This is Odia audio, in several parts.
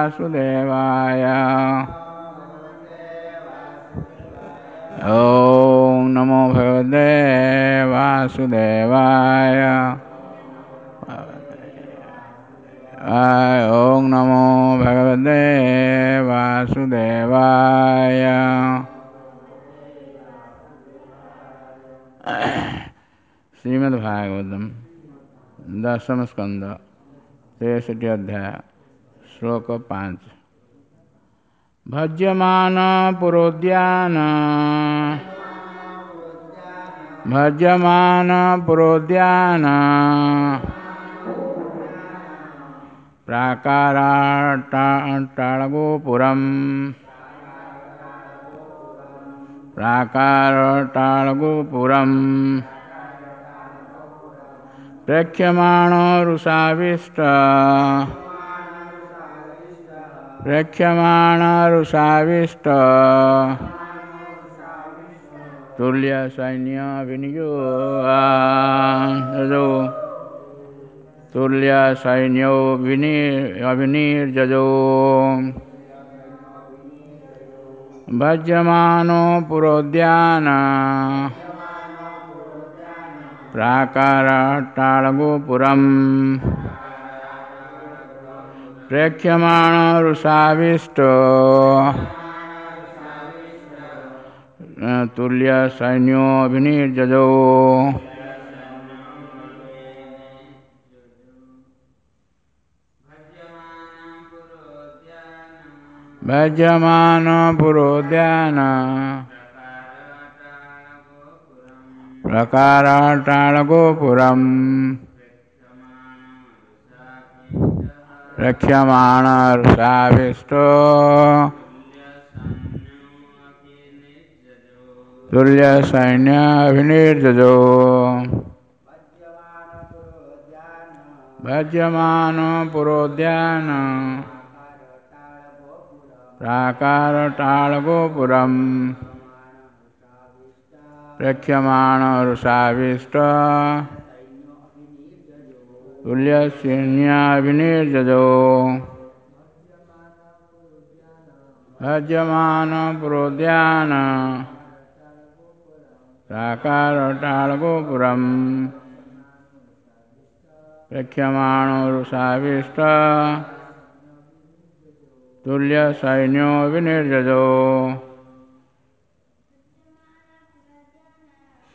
वासुदेवाय। ॐ नमो भगवते वासुदेवाय। ॐ नमो भगवते वासुदेवाय। श्रीमद्भागवतम दशम स्कंद 63 अध्याय श्लोक 5। भज्यमान पुरोद्यान भज्यमान पुरोद्यान प्राकाराटाळगोपुरम् प्राकारटाळगोपुरम् प्रेक्ष्यमाणो रुषाविष्ट प्रेक्ष्यमाणो रुषाविष्ट तुल्य सैन्य विनियोग तुल्य सैन्यो अभिनिर्जजो। भज्यमानो पुरोद्यान प्राकाराटाळगोपुरम् प्रेक्ष्यमाणो रुषाविष्टो तुल्य सैन्यो अभिनिर्जजो। भज्यमान पुरोद्यान प्रकाराटाळगोपुरम् प्रेक्ष्यमाण रुषाविष्टो तुल्य सैन्य अभिनिर्जजो। भज्यमान पुरोद्यान प्राकारटाळगोपुरम् प्रेक्ष्यमाण रुषाविष्ट तुल्य सैन्याभिनिर्जजो। भज्यमान पुरोद्यान प्राकारटाळगोपुरम् प्रेक्ष्यमाण रुषाविष्ट तुल्य सैन्यो विनिर्जजो।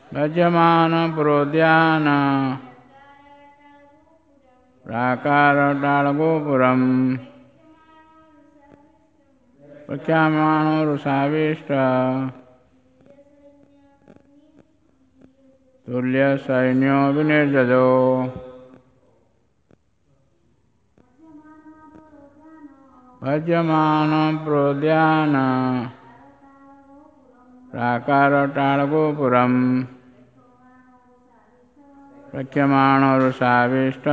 भज्यमान पुरोद्यान प्राकारटाळगोपुरम् प्रेक्ष्यमाणो रुषाविष्ट तुल्य सैन्यो विनिर्जजो। भज्यमान प्रोद्यान प्राकारटाळगोपुरम् प्रेक्ष्यमाणो रुषाविष्ट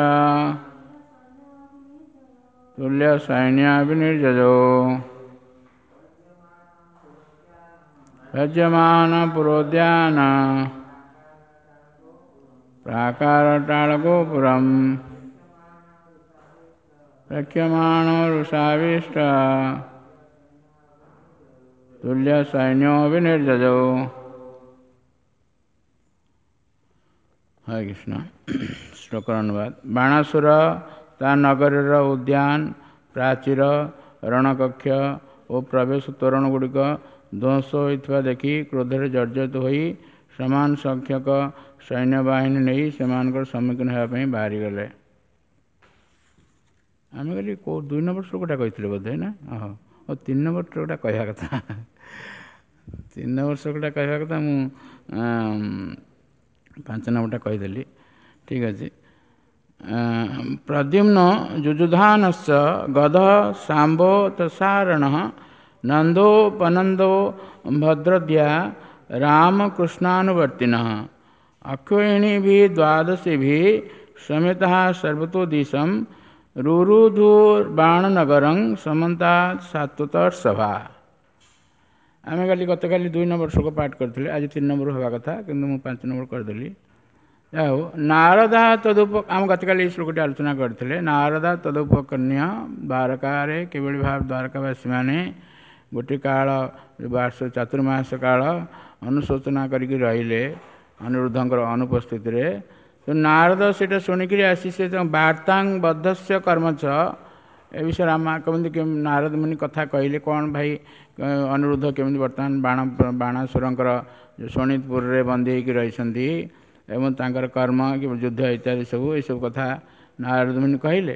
तुल्य सैन्याभिनिर्जजो। भज्यमान पुरोद्यान प्राकारटाळगोपुरम् प्रेक्ष्यमाणो रुषाविष्ट तुल्य सैन्यो विनिर्जजो। ହରେ କୃଷ୍ଣ। ଶ୍ଲୋକର ଅନୁବାଦ। ବାଣାସୁର ତା ନଗରୀର ଉଦ୍ୟାନ, ପ୍ରାଚୀର, ରଣକକ୍ଷ ଓ ପ୍ରବେଶ ତୋରଣ ଗୁଡ଼ିକ ଧ୍ୱଂସ ହୋଇଥିବା ଦେଖି କ୍ରୋଧରେ ଜର୍ଜରିତ ହୋଇ ସମାନ ସଂଖ୍ୟକ ସୈନ୍ୟବାହିନୀ ନେଇ ସେମାନଙ୍କର ସମ୍ମୁଖୀନ ହେବା ପାଇଁ ବାହାରିଗଲେ। ଆମେ କାଲି କେଉଁ 2 ନମ୍ବର ଶ୍ଲୋକଟା କହିଥିଲେ ବୋଧେ ନା? ଓହୋ, ଓ 3 ନମ୍ବର ଶ୍ଲୋକଟା କହିବା କଥା, 3 ନମ୍ବର ଶ୍ଲୋକଟା କହିବା କଥା, ମୁଁ 5 ନମ୍ବରଟା କହିଦେଲି। ଠିକ୍ ଅଛି। ପ୍ରଦ୍ୟୁମ୍ନ ଯୁଯୁଧାନଶ୍ଚ ଗଧ ଶାମ୍ବୋ ତସାରଣଃ ନନ୍ଦୋପନନ୍ଦୋ ଭଦ୍ରଦ୍ୟା ରାମକୃଷ୍ଣାନୁବର୍ତ୍ତିନଃ ଅକ୍ଷୋହିଣୀଭିः ଦ୍ୱାଦଶୀଭିः ସमेतः ସର୍ବतो ଦିଶं ରୁରୁଧୁର୍ବାଣନଗରଂ ସମନ୍ତାତ୍ ସାତ୍ୱତର୍ଷଭା। ଆମେ କାଲି ଗତକାଲି 2 ନମ୍ବର ଶ୍ଲୋକ ପାଠ କରିଥିଲେ, ଆଜି 3 ନମ୍ବର ହେବା କଥା, କିନ୍ତୁ ମୁଁ 5 ନମ୍ବର କରିଦେଲି। ଆଉ ନାରଦା ତଦୁପ, ଆମ ଗତକାଲି ଏଇ ଶ୍ଲୋକଟି ଆଲୋଚନା କରିଥିଲେ। ନାରଦା ତଦୁପକନ୍ୟା, ଦ୍ୱାରକାରେ କିଭଳି ଭାବେ ଦ୍ୱାରକାବାସୀମାନେ ଗୋଟିଏ କାଳ ବାସ ଚାତୁର୍ମାସ କାଳ ଅନୁଶୋଚନା କରିକି ରହିଲେ ଅନିରୁଦ୍ଧଙ୍କର ଅନୁପସ୍ଥିତିରେ। ତ ନାରଦ ସେଇଟା ଶୁଣିକିରି ଆସି ସେ ବାର୍ତ୍ତାଂ ବଦ୍ଧସ୍ୟ କର୍ମଚ, ଏ ବିଷୟରେ ଆମ କେମିତି ନାରଦ ମୁନି କଥା କହିଲେ, କ'ଣ ଭାଇ ଅନିରୁଦ୍ଧ କେମିତି ବର୍ତ୍ତମାନ ବାଣାସୁରଙ୍କର ଶୋଣିତପୁରରେ ବନ୍ଦୀ ହେଇକି ରହିଛନ୍ତି ଏବଂ ତାଙ୍କର କର୍ମ କି ଯୁଦ୍ଧ ଇତ୍ୟାଦି ସବୁ ଏସବୁ କଥା ନାରଦ ମୁନି କହିଲେ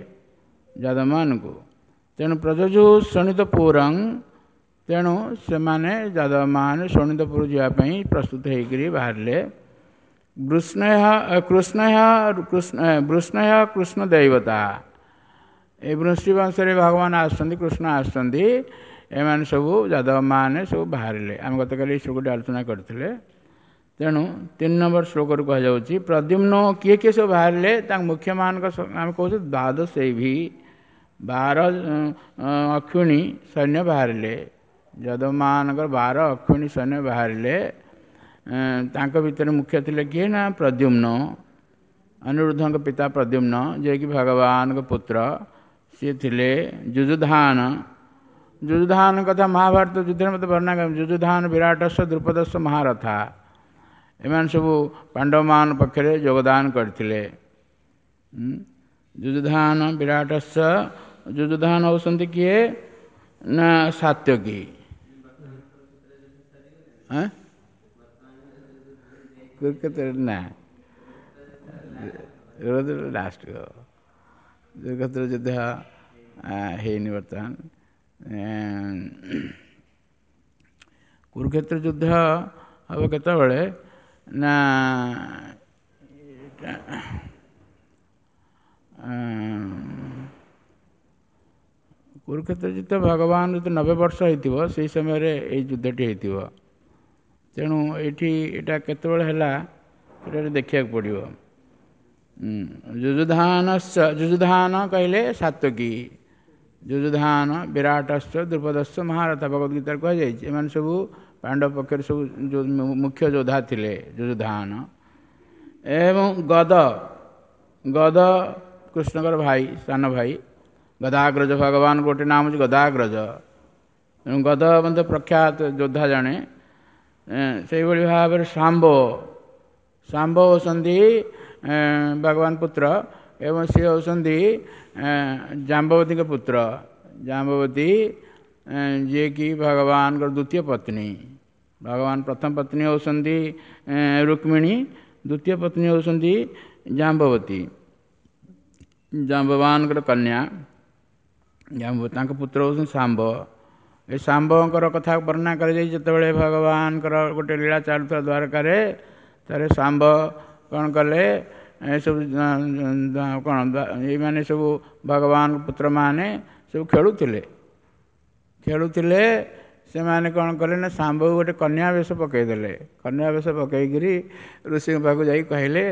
ଯାଦବମାନଙ୍କୁ। ତେଣୁ ପ୍ରଯଜୁ ଶୋଣିତପୁରଂ, ତେଣୁ ସେମାନେ ଯାଦବମାନେ ଶୋଣିତପୁର ଯିବା ପାଇଁ ପ୍ରସ୍ତୁତ ହେଇକରି ବାହାରିଲେ। ବୃଷ୍ଣୟ କୃଷ୍ଣ ଦେବତା, ଏ ବୃଷ୍ଣିବଂଶରେ ଭଗବାନ ଆସୁଛନ୍ତି, କୃଷ୍ଣ ଆସୁଛନ୍ତି, ଏମାନେ ସବୁ ଯାଦବମାନେ ସବୁ ବାହାରିଲେ। ଆମେ ଗତକାଲି ଏଇ ଶ୍ଲୋକଟି ଆଲୋଚନା କରିଥିଲେ। ତେଣୁ 3 ନମ୍ବର ଶ୍ଲୋକରୁ କୁହାଯାଉଛି ପ୍ରଦ୍ୟୁମ୍ନ କିଏ କିଏ ସବୁ ବାହାରିଲେ, ତାଙ୍କ ମୁଖ୍ୟମାନଙ୍କ ଆମେ କହୁଛୁ ଦ୍ୱାଦଶୈଭି, 12 ଅକ୍ଷୁଣୀ ସୈନ୍ୟ ବାହାରିଲେ। ଯାଦବମାନଙ୍କର 12 ଅକ୍ଷୁଣୀ ସୈନ୍ୟ ବାହାରିଲେ। ତାଙ୍କ ଭିତରେ ମୁଖ୍ୟ ଥିଲେ କିଏ ନା ପ୍ରଦ୍ୟୁମ୍ନ, ଅନିରୁଦ୍ଧଙ୍କ ପିତା ପ୍ରଦ୍ୟୁମ୍ନ, ଯିଏକି ଭଗବାନଙ୍କ ପୁତ୍ର। ସିଏ ଥିଲେ ଯୁଯୁଧାନ। ଯୁଯୁଧାନ କଥା ମହାଭାରତ ଯୁଦ୍ଧରେ ମୋତେ ବର୍ଣ୍ଣନା, ଯୁଯୁଧାନ ବିରାଟସ୍ୟ ଦ୍ରୁପଦସ୍ୟ ମହାରଥା, ଏମାନେ ସବୁ ପାଣ୍ଡବମାନ ପକ୍ଷରେ ଯୋଗଦାନ କରିଥିଲେ। ଯୁଯୁଧାନ ବିରାଟସ୍ୟ, ଯୁଯୁଧାନ ହେଉଛନ୍ତି କିଏ ନା ସାତ୍ୟକୀ। କୁରୁକ୍ଷେତ୍ର ନା ଲାଷ୍ଟ କୁରୁକ୍ଷେତ୍ର ଯୁଦ୍ଧ ହେଇନି ବର୍ତ୍ତମାନ। କୁରୁକ୍ଷେତ୍ର ଯୁଦ୍ଧ ହେବ କେତେବେଳେ ନା କୁରୁକ୍ଷେତ୍ର ଯୁଦ୍ଧ ଭଗବାନ ଯଦି 90 ବର୍ଷ ହେଇଥିବ ସେଇ ସମୟରେ ଏଇ ଯୁଦ୍ଧଟି ହେଇଥିବ। ତେଣୁ ଏଇଠି ଏଇଟା କେତେବେଳେ ହେଲା ଏଇଟା ଦେଖିବାକୁ ପଡ଼ିବ। ଯୁଯୁଧାନଶ୍ଚ, ଯୁଯୁଧାନ କହିଲେ ସାତ୍ୟକୀ, ଯୁଯୁଧାନ ବିରାଟଶ୍ଚ ଦ୍ରୁପଦଶ୍ଚ ମହାରଥ, ଭଗବଦ୍ ଗୀତାରେ କୁହାଯାଇଛି। ଏମାନେ ସବୁ ପାଣ୍ଡବ ପକ୍ଷରେ ସବୁ ମୁଖ୍ୟ ଯୋଦ୍ଧା ଥିଲେ ଯୁଯୁଧାନ। ଏବଂ ଗଦ, ଗଦ କୃଷ୍ଣଙ୍କର ଭାଇ, ସାନ ଭାଇ ଗଦାଗ୍ରଜ, ଭଗବାନ ଗୋଟେ ନାମ ହେଉଛି ଗଦାଗ୍ରଜ। ତେଣୁ ଗଦ ମଧ୍ୟ ପ୍ରଖ୍ୟାତ ଯୋଦ୍ଧା ଜଣେ। ସେଇଭଳି ଭାବରେ ଶାମ୍ବ, ଶାମ୍ବ ହେଉଛନ୍ତି ଭଗବାନ ପୁତ୍ର ଏବଂ ସିଏ ହେଉଛନ୍ତି ଜାମ୍ବବତୀଙ୍କ ପୁତ୍ର। ଜାମ୍ବବତୀ ଯିଏକି ଭଗବାନଙ୍କର ଦ୍ୱିତୀୟ ପତ୍ନୀ। ଭଗବାନ ପ୍ରଥମ ପତ୍ନୀ ହେଉଛନ୍ତି ରୁକ୍ମିଣୀ, ଦ୍ୱିତୀୟ ପତ୍ନୀ ହେଉଛନ୍ତି ଜାମ୍ବବତୀ, ଜାମ୍ବବାନଙ୍କର କନ୍ୟା। ତାଙ୍କ ପୁତ୍ର ହେଉଛନ୍ତି ଶାମ୍ବ। ଏ ଶାମ୍ବଙ୍କର କଥା ବର୍ଣ୍ଣନା କରାଯାଇ ଯେତେବେଳେ ଭଗବାନଙ୍କର ଗୋଟେ ଲୀଳା ଚାଲୁଥିଲା ଦ୍ୱାରକାରେ, ଥରେ ଶାମ୍ବ କ'ଣ କଲେ, ଏସବୁ କ'ଣ ଏଇମାନେ ସବୁ ଭଗବାନ ପୁତ୍ରମାନେ ସବୁ ଖେଳୁଥିଲେ, ଖେଳୁଥିଲେ। ସେମାନେ କ'ଣ କଲେ ନା ଶାମ୍ବକୁ ଗୋଟେ କନ୍ୟା ବେଶ ପକାଇଦେଲେ। କନ୍ୟା ବେଶ ପକାଇକିରି ଋଷିଙ୍କ ପାଖକୁ ଯାଇ କହିଲେ,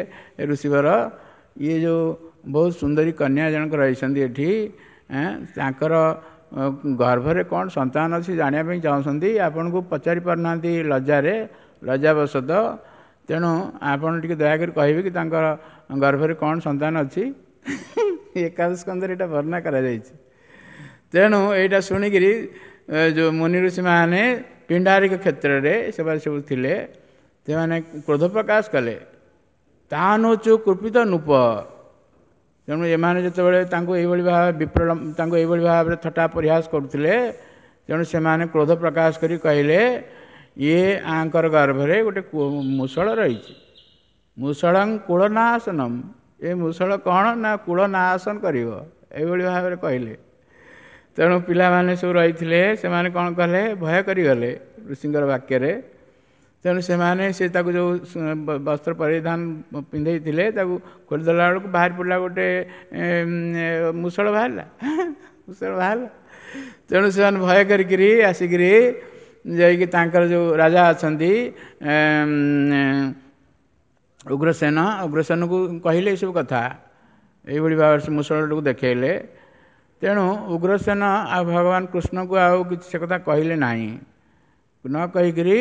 ଏ ଋଷିବର, ଇଏ ଯେଉଁ ବହୁତ ସୁନ୍ଦରୀ କନ୍ୟା ଜଣକ ରହିଛନ୍ତି ଏଠି, ତାଙ୍କର ଗର୍ଭରେ କ'ଣ ସନ୍ତାନ ଅଛି ଜାଣିବା ପାଇଁ ଚାହୁଁଛନ୍ତି, ଆପଣଙ୍କୁ ପଚାରି ପାରୁନାହାନ୍ତି ଲଜ୍ଜାରେ, ଲଜ୍ଜାବଶତଃ। ତେଣୁ ଆପଣ ଟିକେ ଦୟାକରି କହିବେ କି ତାଙ୍କର ଗର୍ଭରେ କ'ଣ ସନ୍ତାନ ଅଛି। ଏକାଦଶ ସ୍କନ୍ଧରେ ଏଇଟା ବର୍ଣ୍ଣନା କରାଯାଇଛି। ତେଣୁ ଏଇଟା ଶୁଣିକିରି ଯେଉଁ ମୁନି ଋଷିମାନେ ପିଣ୍ଡାରିକ କ୍ଷେତ୍ରରେ ସେମାନେ ସବୁ ଥିଲେ, ସେମାନେ କ୍ରୋଧ ପ୍ରକାଶ କଲେ। ତାନୁଚୁ କୃପିତ ନୂପ। ତେଣୁ ଏମାନେ ଯେତେବେଳେ ତାଙ୍କୁ ଏଇଭଳି ଭାବେ ବିପ୍ର ତାଙ୍କୁ ଏଇଭଳି ଭାବରେ ଥଟ୍ଟା ପରିହାସ କରୁଥିଲେ, ତେଣୁ ସେମାନେ କ୍ରୋଧ ପ୍ରକାଶ କରି କହିଲେ, ଇଏ ଆଙ୍କର ଗର୍ଭରେ ଗୋଟେ ମୂଷଳ ରହିଛି, ମୂଷଳଂ କୁଳନାଶନମ୍, ଏ ମୂଷଳ କ'ଣ ନା କୁଳନାଶନ କରିବ, ଏଇଭଳି ଭାବରେ କହିଲେ। ତେଣୁ ପିଲାମାନେ ସବୁ ରହିଥିଲେ, ସେମାନେ କ'ଣ କଲେ, ଭୟ କରିଗଲେ ଋଷିଙ୍କର ବାକ୍ୟରେ। ତେଣୁ ସେମାନେ ସେ ତାକୁ ଯେଉଁ ବସ୍ତ୍ର ପରିଧାନ ପିନ୍ଧେଇଥିଲେ ତାକୁ ଖୋଲିଦେଲା ବେଳକୁ ବାହାରି ପଡ଼ିଲା ଗୋଟେ ମୂଷଳ ବାହାରିଲା, ମୂଷଳ ବାହାରିଲା। ତେଣୁ ସେମାନେ ଭୟ କରିକିରି ଆସିକିରି ଯାଇକି ତାଙ୍କର ଯେଉଁ ରାଜା ଅଛନ୍ତି ଉଗ୍ରସେନ, ଉଗ୍ରସେନକୁ କହିଲେ ଏସବୁ କଥା, ଏଇଭଳି ଭାବରେ ସେ ମୂଷଳଟିକୁ ଦେଖେଇଲେ। ତେଣୁ ଉଗ୍ରସେନ ଆଉ ଭଗବାନ କୃଷ୍ଣଙ୍କୁ ଆଉ କିଛି ସେ କଥା କହିଲେ ନାହିଁ। ନ କହିକିରି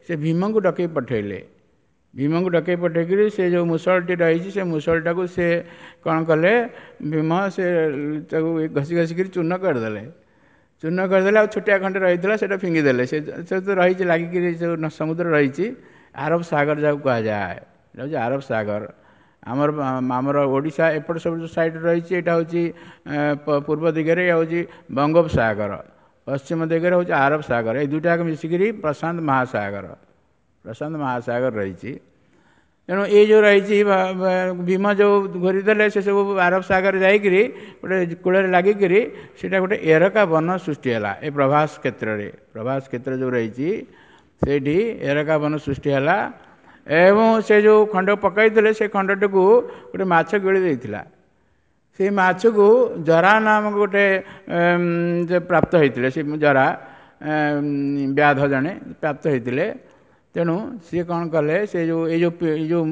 ସେ ଭୀମଙ୍କୁ ଡକେଇ ପଠେଇଲେ। ଭୀମଙ୍କୁ ଡକେଇ ପଠେଇକିରି ସେ ଯେଉଁ ମୁସଳଟି ରହିଛି ସେ ମୁସଳଟାକୁ ସେ କ'ଣ କଲେ, ଭୀମ ସେ ତାକୁ ଘଷି ଘଷିକିରି ଚୂର୍ଣ୍ଣ କରିଦେଲେ। ଚୂର୍ଣ୍ଣ କରିଦେଲେ, ଆଉ ଛୋଟିଆ ଖଣ୍ଡେ ରହିଥିଲା, ସେଇଟା ଫିଙ୍ଗିଦେଲେ। ସେ ତ ରହିଛି ଲାଗିକିରି, ଯେଉଁ ସମୁଦ୍ର ରହିଛି, ଆରବ ସାଗର ଯାହାକୁ କୁହାଯାଏ, ଏଇଟା ହେଉଛି ଆରବ ସାଗର। ଆମର ଓଡ଼ିଶା ଏପଟ ସବୁ ଯେଉଁ ସାଇଡ଼୍ ରହିଛି, ଏଇଟା ହେଉଛି ପୂର୍ବ ଦିଗରେ ହେଉଛି ବଙ୍ଗୋପସାଗର, ପଶ୍ଚିମ ଦିଗରେ ହେଉଛି ଆରବ ସାଗର। ଏଇ ଦୁଇଟା ମିଶିକିରି ପ୍ରଶାନ୍ତ ମହାସାଗର, ପ୍ରଶାନ୍ତ ମହାସାଗର ରହିଛି। ତେଣୁ ଏଇ ଯେଉଁ ରହିଛି, ଭୀମ ଯେଉଁ ଘୋରିଦେଲେ, ସେ ସବୁ ଆରବ ସାଗର ଯାଇକିରି ଗୋଟେ କୂଳରେ ଲାଗିକିରି ସେଇଟା ଗୋଟେ ଏରକା ବନ ସୃଷ୍ଟି ହେଲା। ଏ ପ୍ରଭାସ କ୍ଷେତ୍ରରେ, ପ୍ରଭାସ କ୍ଷେତ୍ର ଯେଉଁ ରହିଛି ସେଇଠି ଏରକା ବନ ସୃଷ୍ଟି ହେଲା। ଏବଂ ସେ ଯେଉଁ ଖଣ୍ଡ ପକାଇଥିଲେ, ସେ ଖଣ୍ଡଟିକୁ ଗୋଟେ ମାଛ ଗିଳି ଦେଇଥିଲା। ସେଇ ମାଛକୁ ଜରା ନାମକ ଗୋଟେ ପ୍ରାପ୍ତ ହେଇଥିଲେ, ସେ ଜରା ବ୍ୟାଧ ଜଣେ ପ୍ରାପ୍ତ ହେଇଥିଲେ। ତେଣୁ ସିଏ କ'ଣ କଲେ, ସେ ଯେଉଁ ଏଇ ଯେଉଁ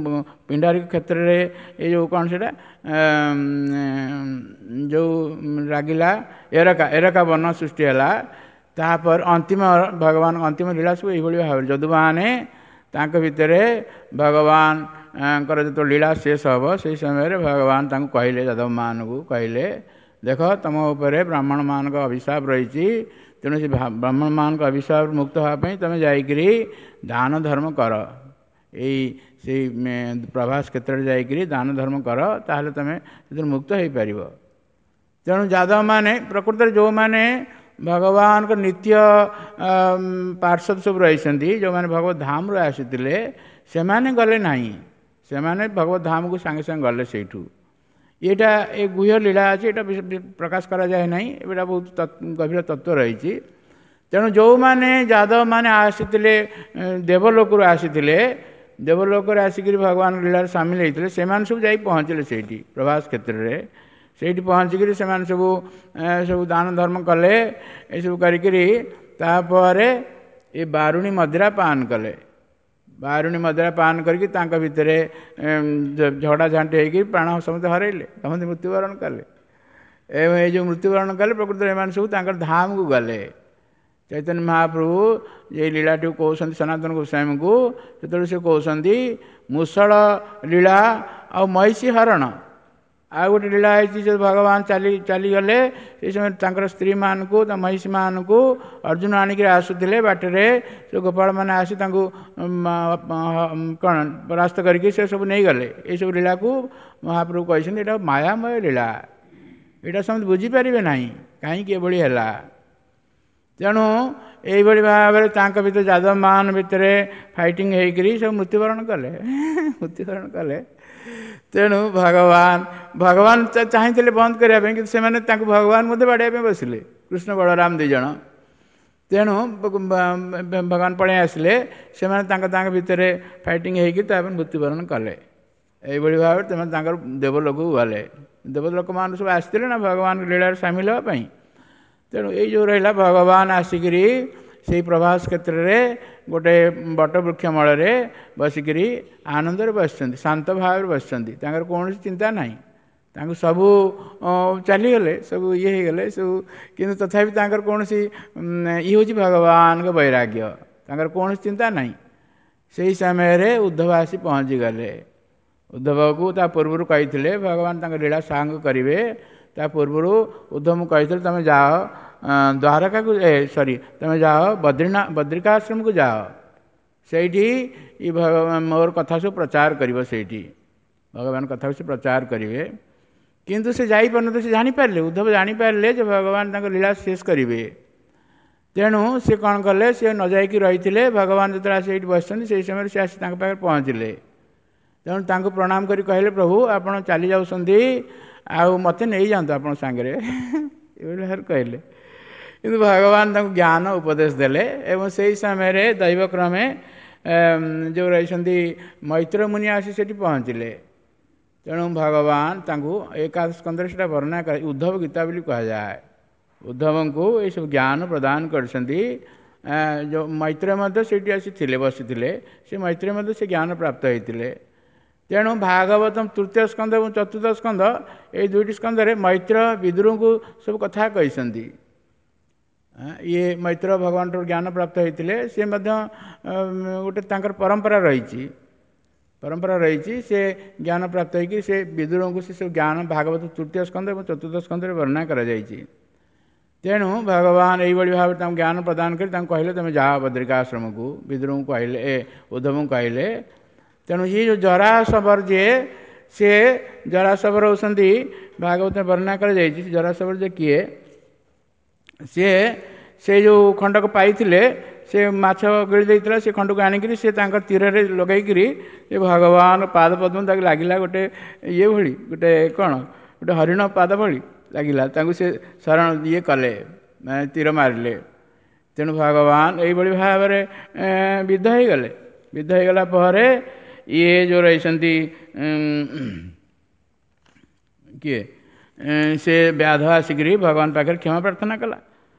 ପିଣ୍ଡାରିକ କ୍ଷେତ୍ରରେ ଏଇ ଯେଉଁ କ'ଣ ସେଇଟା ଯେଉଁ ଲାଗିଲା ଏରକା, ଏରକା ବନ ସୃଷ୍ଟି ହେଲା। ତାପରେ ଅନ୍ତିମ ଭଗବାନ ଅନ୍ତିମ ଲୀଳା ସବୁ ଏଇଭଳି ଭାବରେ ଯଦୁମାନେ ତାଙ୍କ ଭିତରେ ଭଗବାନଙ୍କର ଯେତେବେଳେ ଲୀଳା ଶେଷ ହେବ, ସେଇ ସମୟରେ ଭଗବାନ ତାଙ୍କୁ କହିଲେ, ଯାଦବମାନଙ୍କୁ କହିଲେ, ଦେଖ, ତୁମ ଉପରେ ବ୍ରାହ୍ମଣମାନଙ୍କ ଅଭିଶାପ ରହିଛି। ତେଣୁ ସେ ବ୍ରାହ୍ମଣମାନଙ୍କ ଅଭିଶାପ ମୁକ୍ତ ହେବା ପାଇଁ ତୁମେ ଯାଇକରି ଦାନ ଧର୍ମ କର, ଏଇ ସେଇ ପ୍ରଭାସ କ୍ଷେତ୍ରରେ ଯାଇକରି ଦାନ ଧର୍ମ କର, ତାହେଲେ ତୁମେ ସେଥିରୁ ମୁକ୍ତ ହେଇପାରିବ। ତେଣୁ ଯାଦବମାନେ ପ୍ରକୃତରେ ଯେଉଁମାନେ ଭଗବାନଙ୍କ ନିତ୍ୟ ପାର୍ଶ୍ୱଦ ସବୁ ରହିଛନ୍ତି, ଯେଉଁମାନେ ଭଗବତ ଧାମରୁ ଆସିଥିଲେ, ସେମାନେ ଗଲେ ନାହିଁ। ସେମାନେ ଭଗବତ ଧାମକୁ ସାଙ୍ଗେ ସାଙ୍ଗେ ଗଲେ ସେଇଠୁ। ଏଇଟା ଏ ଗୁହ୍ୟ ଲୀଳା ଅଛି, ଏଇଟା ପ୍ରକାଶ କରାଯାଏ ନାହିଁ। ଏଇଟା ବହୁତ ଗଭୀର ତତ୍ତ୍ୱ ରହିଛି। ତେଣୁ ଯେଉଁମାନେ ଯାଦବମାନେ ଆସିଥିଲେ, ଦେବଲୋକରୁ ଆସିଥିଲେ, ଦେବଲୋକରେ ଆସିକରି ଭଗବାନ ଲୀଳାରେ ସାମିଲ ହେଇଥିଲେ, ସେମାନେ ସବୁ ଯାଇ ପହଞ୍ଚିଲେ ସେଇଠି ପ୍ରଭାସ କ୍ଷେତ୍ରରେ। ସେଇଠି ପହଞ୍ଚିକିରି ସେମାନେ ସବୁ ସବୁ ଦାନ ଧର୍ମ କଲେ। ଏସବୁ କରିକିରି ତାପରେ ଏ ବାରୁଣୀ ମଦିରା ପାନ କଲେ। ବାରୁଣୀ ମଦିରା ପାନ କରିକି ତାଙ୍କ ଭିତରେ ଝଗଡ଼ା ଝାଣ୍ଟି ହେଇକି ପ୍ରାଣ ସମସ୍ତେ ହରାଇଲେ, ସମସ୍ତେ ମୃତ୍ୟୁବରଣ କଲେ। ଏବଂ ଏଇ ଯେଉଁ ମୃତ୍ୟୁବରଣ କଲେ, ପ୍ରକୃତରେ ଏମାନେ ସବୁ ତାଙ୍କର ଧାମକୁ ଗଲେ। ଚୈତନ୍ୟ ମହାପ୍ରଭୁ ଏଇ ଲୀଳାଟିକୁ କହୁଛନ୍ତି ସନାତନ ଗୋସ୍ୱାମୀଙ୍କୁ, ସେତେବେଳେ ସେ କହୁଛନ୍ତି ମୁସଳ ଲୀଳା ଆଉ ମହିଷୀ ହରଣ। ଆଉ ଗୋଟେ ଲୀଳା ହେଇଛି ଯେ ଭଗବାନ ଚାଲି ଚାଲିଗଲେ, ସେଇ ସମୟରେ ତାଙ୍କର ସ୍ତ୍ରୀମାନଙ୍କୁ, ତା ମହିଷୀମାନଙ୍କୁ ଅର୍ଜୁନ ଆଣିକିରି ଆସୁଥିଲେ, ବାଟରେ ସେ ଗୋପାଳମାନେ ଆସି ତାଙ୍କୁ କ'ଣ ପରାସ୍ତ କରିକି ସେ ସବୁ ନେଇଗଲେ। ଏଇସବୁ ଲୀଳାକୁ ମହାପ୍ରଭୁ କହିଛନ୍ତି ଏଇଟା ମାୟାମୟ ଲୀଳା, ଏଇଟା ସମସ୍ତେ ବୁଝିପାରିବେ ନାହିଁ କାହିଁକି ଏଭଳି ହେଲା। ତେଣୁ ଏଇଭଳି ଭାବରେ ତାଙ୍କ ଭିତରେ ଯାଦବମାନ ଭିତରେ ଫାଇଟିଂ ହେଇକରି ସବୁ ମୃତ୍ୟୁବରଣ କଲେ, ମୃତ୍ୟୁବରଣ କଲେ। ତେଣୁ ଭଗବାନ ଚାହିଁଥିଲେ ବନ୍ଦ କରିବା ପାଇଁ, କିନ୍ତୁ ସେମାନେ ତାଙ୍କୁ ଭଗବାନ ମଧ୍ୟ ବାଡ଼େଇବା ପାଇଁ ବସିଲେ, କୃଷ୍ଣ ବଳରାମ ଦୁଇ ଜଣ। ତେଣୁ ଭଗବାନ ପଳେଇ ଆସିଲେ, ସେମାନେ ତାଙ୍କ ତାଙ୍କ ଭିତରେ ଫାଇଟିଂ ହେଇକି ତାପରେ ମୃତ୍ୟୁବରଣ କଲେ। ଏଇଭଳି ଭାବରେ ସେମାନେ ତାଙ୍କର ଦେବଲୋକକୁ ଗଲେ। ଦେବଲୋକମାନେ ସବୁ ଆସିଥିଲେ ନା ଭଗବାନ ଲୀଳାରେ ସାମିଲ ହେବା ପାଇଁ। ତେଣୁ ଏଇ ଯେଉଁ ରହିଲା, ଭଗବାନ ଆସିକିରି ସେଇ ପ୍ରଭାସ କ୍ଷେତ୍ରରେ ଗୋଟେ ବଟବୃକ୍ଷ ମୂଳରେ ବସିକିରି ଆନନ୍ଦରେ ବସିଛନ୍ତି, ଶାନ୍ତ ଭାବରେ ବସିଛନ୍ତି, ତାଙ୍କର କୌଣସି ଚିନ୍ତା ନାହିଁ। ତାଙ୍କୁ ସବୁ ଚାଲିଗଲେ, ସବୁ ଇଏ ହେଇଗଲେ ସବୁ, କିନ୍ତୁ ତଥାପି ତାଙ୍କର କୌଣସି, ଇଏ ହେଉଛି ଭଗବାନଙ୍କ ବୈରାଗ୍ୟ, ତାଙ୍କର କୌଣସି ଚିନ୍ତା ନାହିଁ। ସେଇ ସମୟରେ ଉଦ୍ଧବ ଆସି ପହଞ୍ଚିଗଲେ। ଉଦ୍ଧବକୁ ତା ପୂର୍ବରୁ କହିଥିଲେ ଭଗବାନ ତାଙ୍କ ଲୀଳା ସାଙ୍ଗ କରିବେ। ତା ପୂର୍ବରୁ ଉଦ୍ଧବଙ୍କୁ କହିଥିଲେ, ତୁମେ ଯାଅ ଦ୍ୱାରକାକୁ, ଏ ସରି, ତୁମେ ଯାଅ ବଦ୍ରିନା ବଦ୍ରିକାଶ୍ରମକୁ ଯାଅ, ସେଇଠି ଇ ଭଗବାନ ମୋର କଥା ସବୁ ପ୍ରଚାର କରିବ, ସେଇଠି ଭଗବାନ କଥାକୁ ସେ ପ୍ରଚାର କରିବେ। କିନ୍ତୁ ସେ ଯାଇପାରୁନଥିଲେ। ସେ ଜାଣିପାରିଲେ, ଉଦ୍ଧବ ଜାଣିପାରିଲେ ଯେ ଭଗବାନ ତାଙ୍କ ଲୀଳା ଶେଷ କରିବେ। ତେଣୁ ସେ କ'ଣ କଲେ, ସେ ନ ଯାଇକି ରହିଥିଲେ। ଭଗବାନ ଯେତେବେଳେ ଆସି ଏଇଠି ବସିଛନ୍ତି, ସେଇ ସମୟରେ ସେ ଆସି ତାଙ୍କ ପାଖରେ ପହଞ୍ଚିଲେ। ତେଣୁ ତାଙ୍କୁ ପ୍ରଣାମ କରି କହିଲେ, ପ୍ରଭୁ, ଆପଣ ଚାଲି ଯାଉଛନ୍ତି ଆଉ ମୋତେ ନେଇଯାଆନ୍ତୁ ଆପଣଙ୍କ ସାଙ୍ଗରେ, ଏଭଳି ଭାବରେ କହିଲେ। କିନ୍ତୁ ଭଗବାନ ତାଙ୍କୁ ଜ୍ଞାନ ଉପଦେଶ ଦେଲେ। ଏବଂ ସେଇ ସମୟରେ ଦୈବକ୍ରମେ ଯେଉଁ ରହିଛନ୍ତି ମୈତ୍ର ମୁନି ଆସି ସେଠି ପହଞ୍ଚିଲେ। ତେଣୁ ଭଗବାନ ତାଙ୍କୁ ଏକାଦଶ ସ୍କନ୍ଧରେ ସେଇଟା ବର୍ଣ୍ଣନା କରି ଉଦ୍ଧବ ଗୀତା ବୋଲି କୁହାଯାଏ। ଉଦ୍ଧବଙ୍କୁ ଏସବୁ ଜ୍ଞାନ ପ୍ରଦାନ କରିଛନ୍ତି। ଯେଉଁ ମୈତ୍ର ମଧ୍ୟ ସେଇଠି ଆସି ଥିଲେ, ବସିଥିଲେ, ସେ ମୈତ୍ର ମଧ୍ୟ ସେ ଜ୍ଞାନ ପ୍ରାପ୍ତ ହେଇଥିଲେ। ତେଣୁ ଭାଗବତ ତୃତୀୟ ସ୍କନ୍ଧ ଏବଂ ଚତୁର୍ଥ ସ୍କନ୍ଧ, ଏଇ ଦୁଇଟି ସ୍କନ୍ଧରେ ମୈତ୍ର ବିଦୁରଙ୍କୁ ସବୁ କଥା କହିଛନ୍ତି। ଇଏ ମୈତ୍ର ଭଗବାନଠାରୁ ଜ୍ଞାନ ପ୍ରାପ୍ତ ହେଇଥିଲେ। ସେ ମଧ୍ୟ ଗୋଟେ ତାଙ୍କର ପରମ୍ପରା ରହିଛି। ପରମ୍ପରା ରହିଛି। ସେ ଜ୍ଞାନ ପ୍ରାପ୍ତ ହେଇକି ସେ ବିଦୁରଙ୍କୁ ସେ ସବୁ ଜ୍ଞାନ ଭାଗବତ ତୃତୀୟ ସ୍କନ୍ଧ ଏବଂ ଚତୁର୍ଥ ସ୍କନ୍ଧରେ ବର୍ଣ୍ଣନା କରାଯାଇଛି। ତେଣୁ ଭଗବାନ ଏଇଭଳି ଭାବରେ ତାଙ୍କୁ ଜ୍ଞାନ ପ୍ରଦାନ କରି ତାଙ୍କୁ କହିଲେ, ତୁମେ ଯାଅ ବଦ୍ରିକାଶ୍ରମକୁ। ବିଦୁରଙ୍କୁ କହିଲେ, ଉଦ୍ଧବଙ୍କୁ କହିଲେ। ତେଣୁ ଇଏ ଯେଉଁ ଜରାସବର ଯିଏ, ସିଏ ଜରାସବର ହେଉଛନ୍ତି, ଭାଗବତ ବର୍ଣ୍ଣନା କରାଯାଇଛି। ଜରାସବର ଯେ କିଏ, ସିଏ ସେ ଯେଉଁ ଖଣ୍ଡକ ପାଇଥିଲେ, ସେ ମାଛ ଗିଳି ଦେଇଥିଲା, ସେ ଖଣ୍ଡକୁ ଆଣିକିରି ସେ ତାଙ୍କ ତୀରରେ ଲଗେଇକିରି ସେ ଭଗବାନ ପାଦ ପଦ୍ମ ତାକୁ ଲାଗିଲା, ଗୋଟେ ଇଏ ଭଳି, ଗୋଟେ କ'ଣ, ଗୋଟେ ହରିଣ ପାଦ ଭଳି ଲାଗିଲା। ତାଙ୍କୁ ସେ ଶରଣ ଇଏ କଲେ, ମାନେ ତୀର ମାରିଲେ। ତେଣୁ ଭଗବାନ ଏଇଭଳି ଭାବରେ ବିଦ୍ଧ ହେଇଗଲେ। ବିଦ୍ଧ ହେଇଗଲା ପରେ ଇଏ ଯେଉଁ ରହିଛନ୍ତି କିଏ, ସେ ବ୍ୟାଧ ଆସିକିରି ଭଗବାନ ପାଖରେ କ୍ଷମା ପ୍ରାର୍ଥନା କଲା।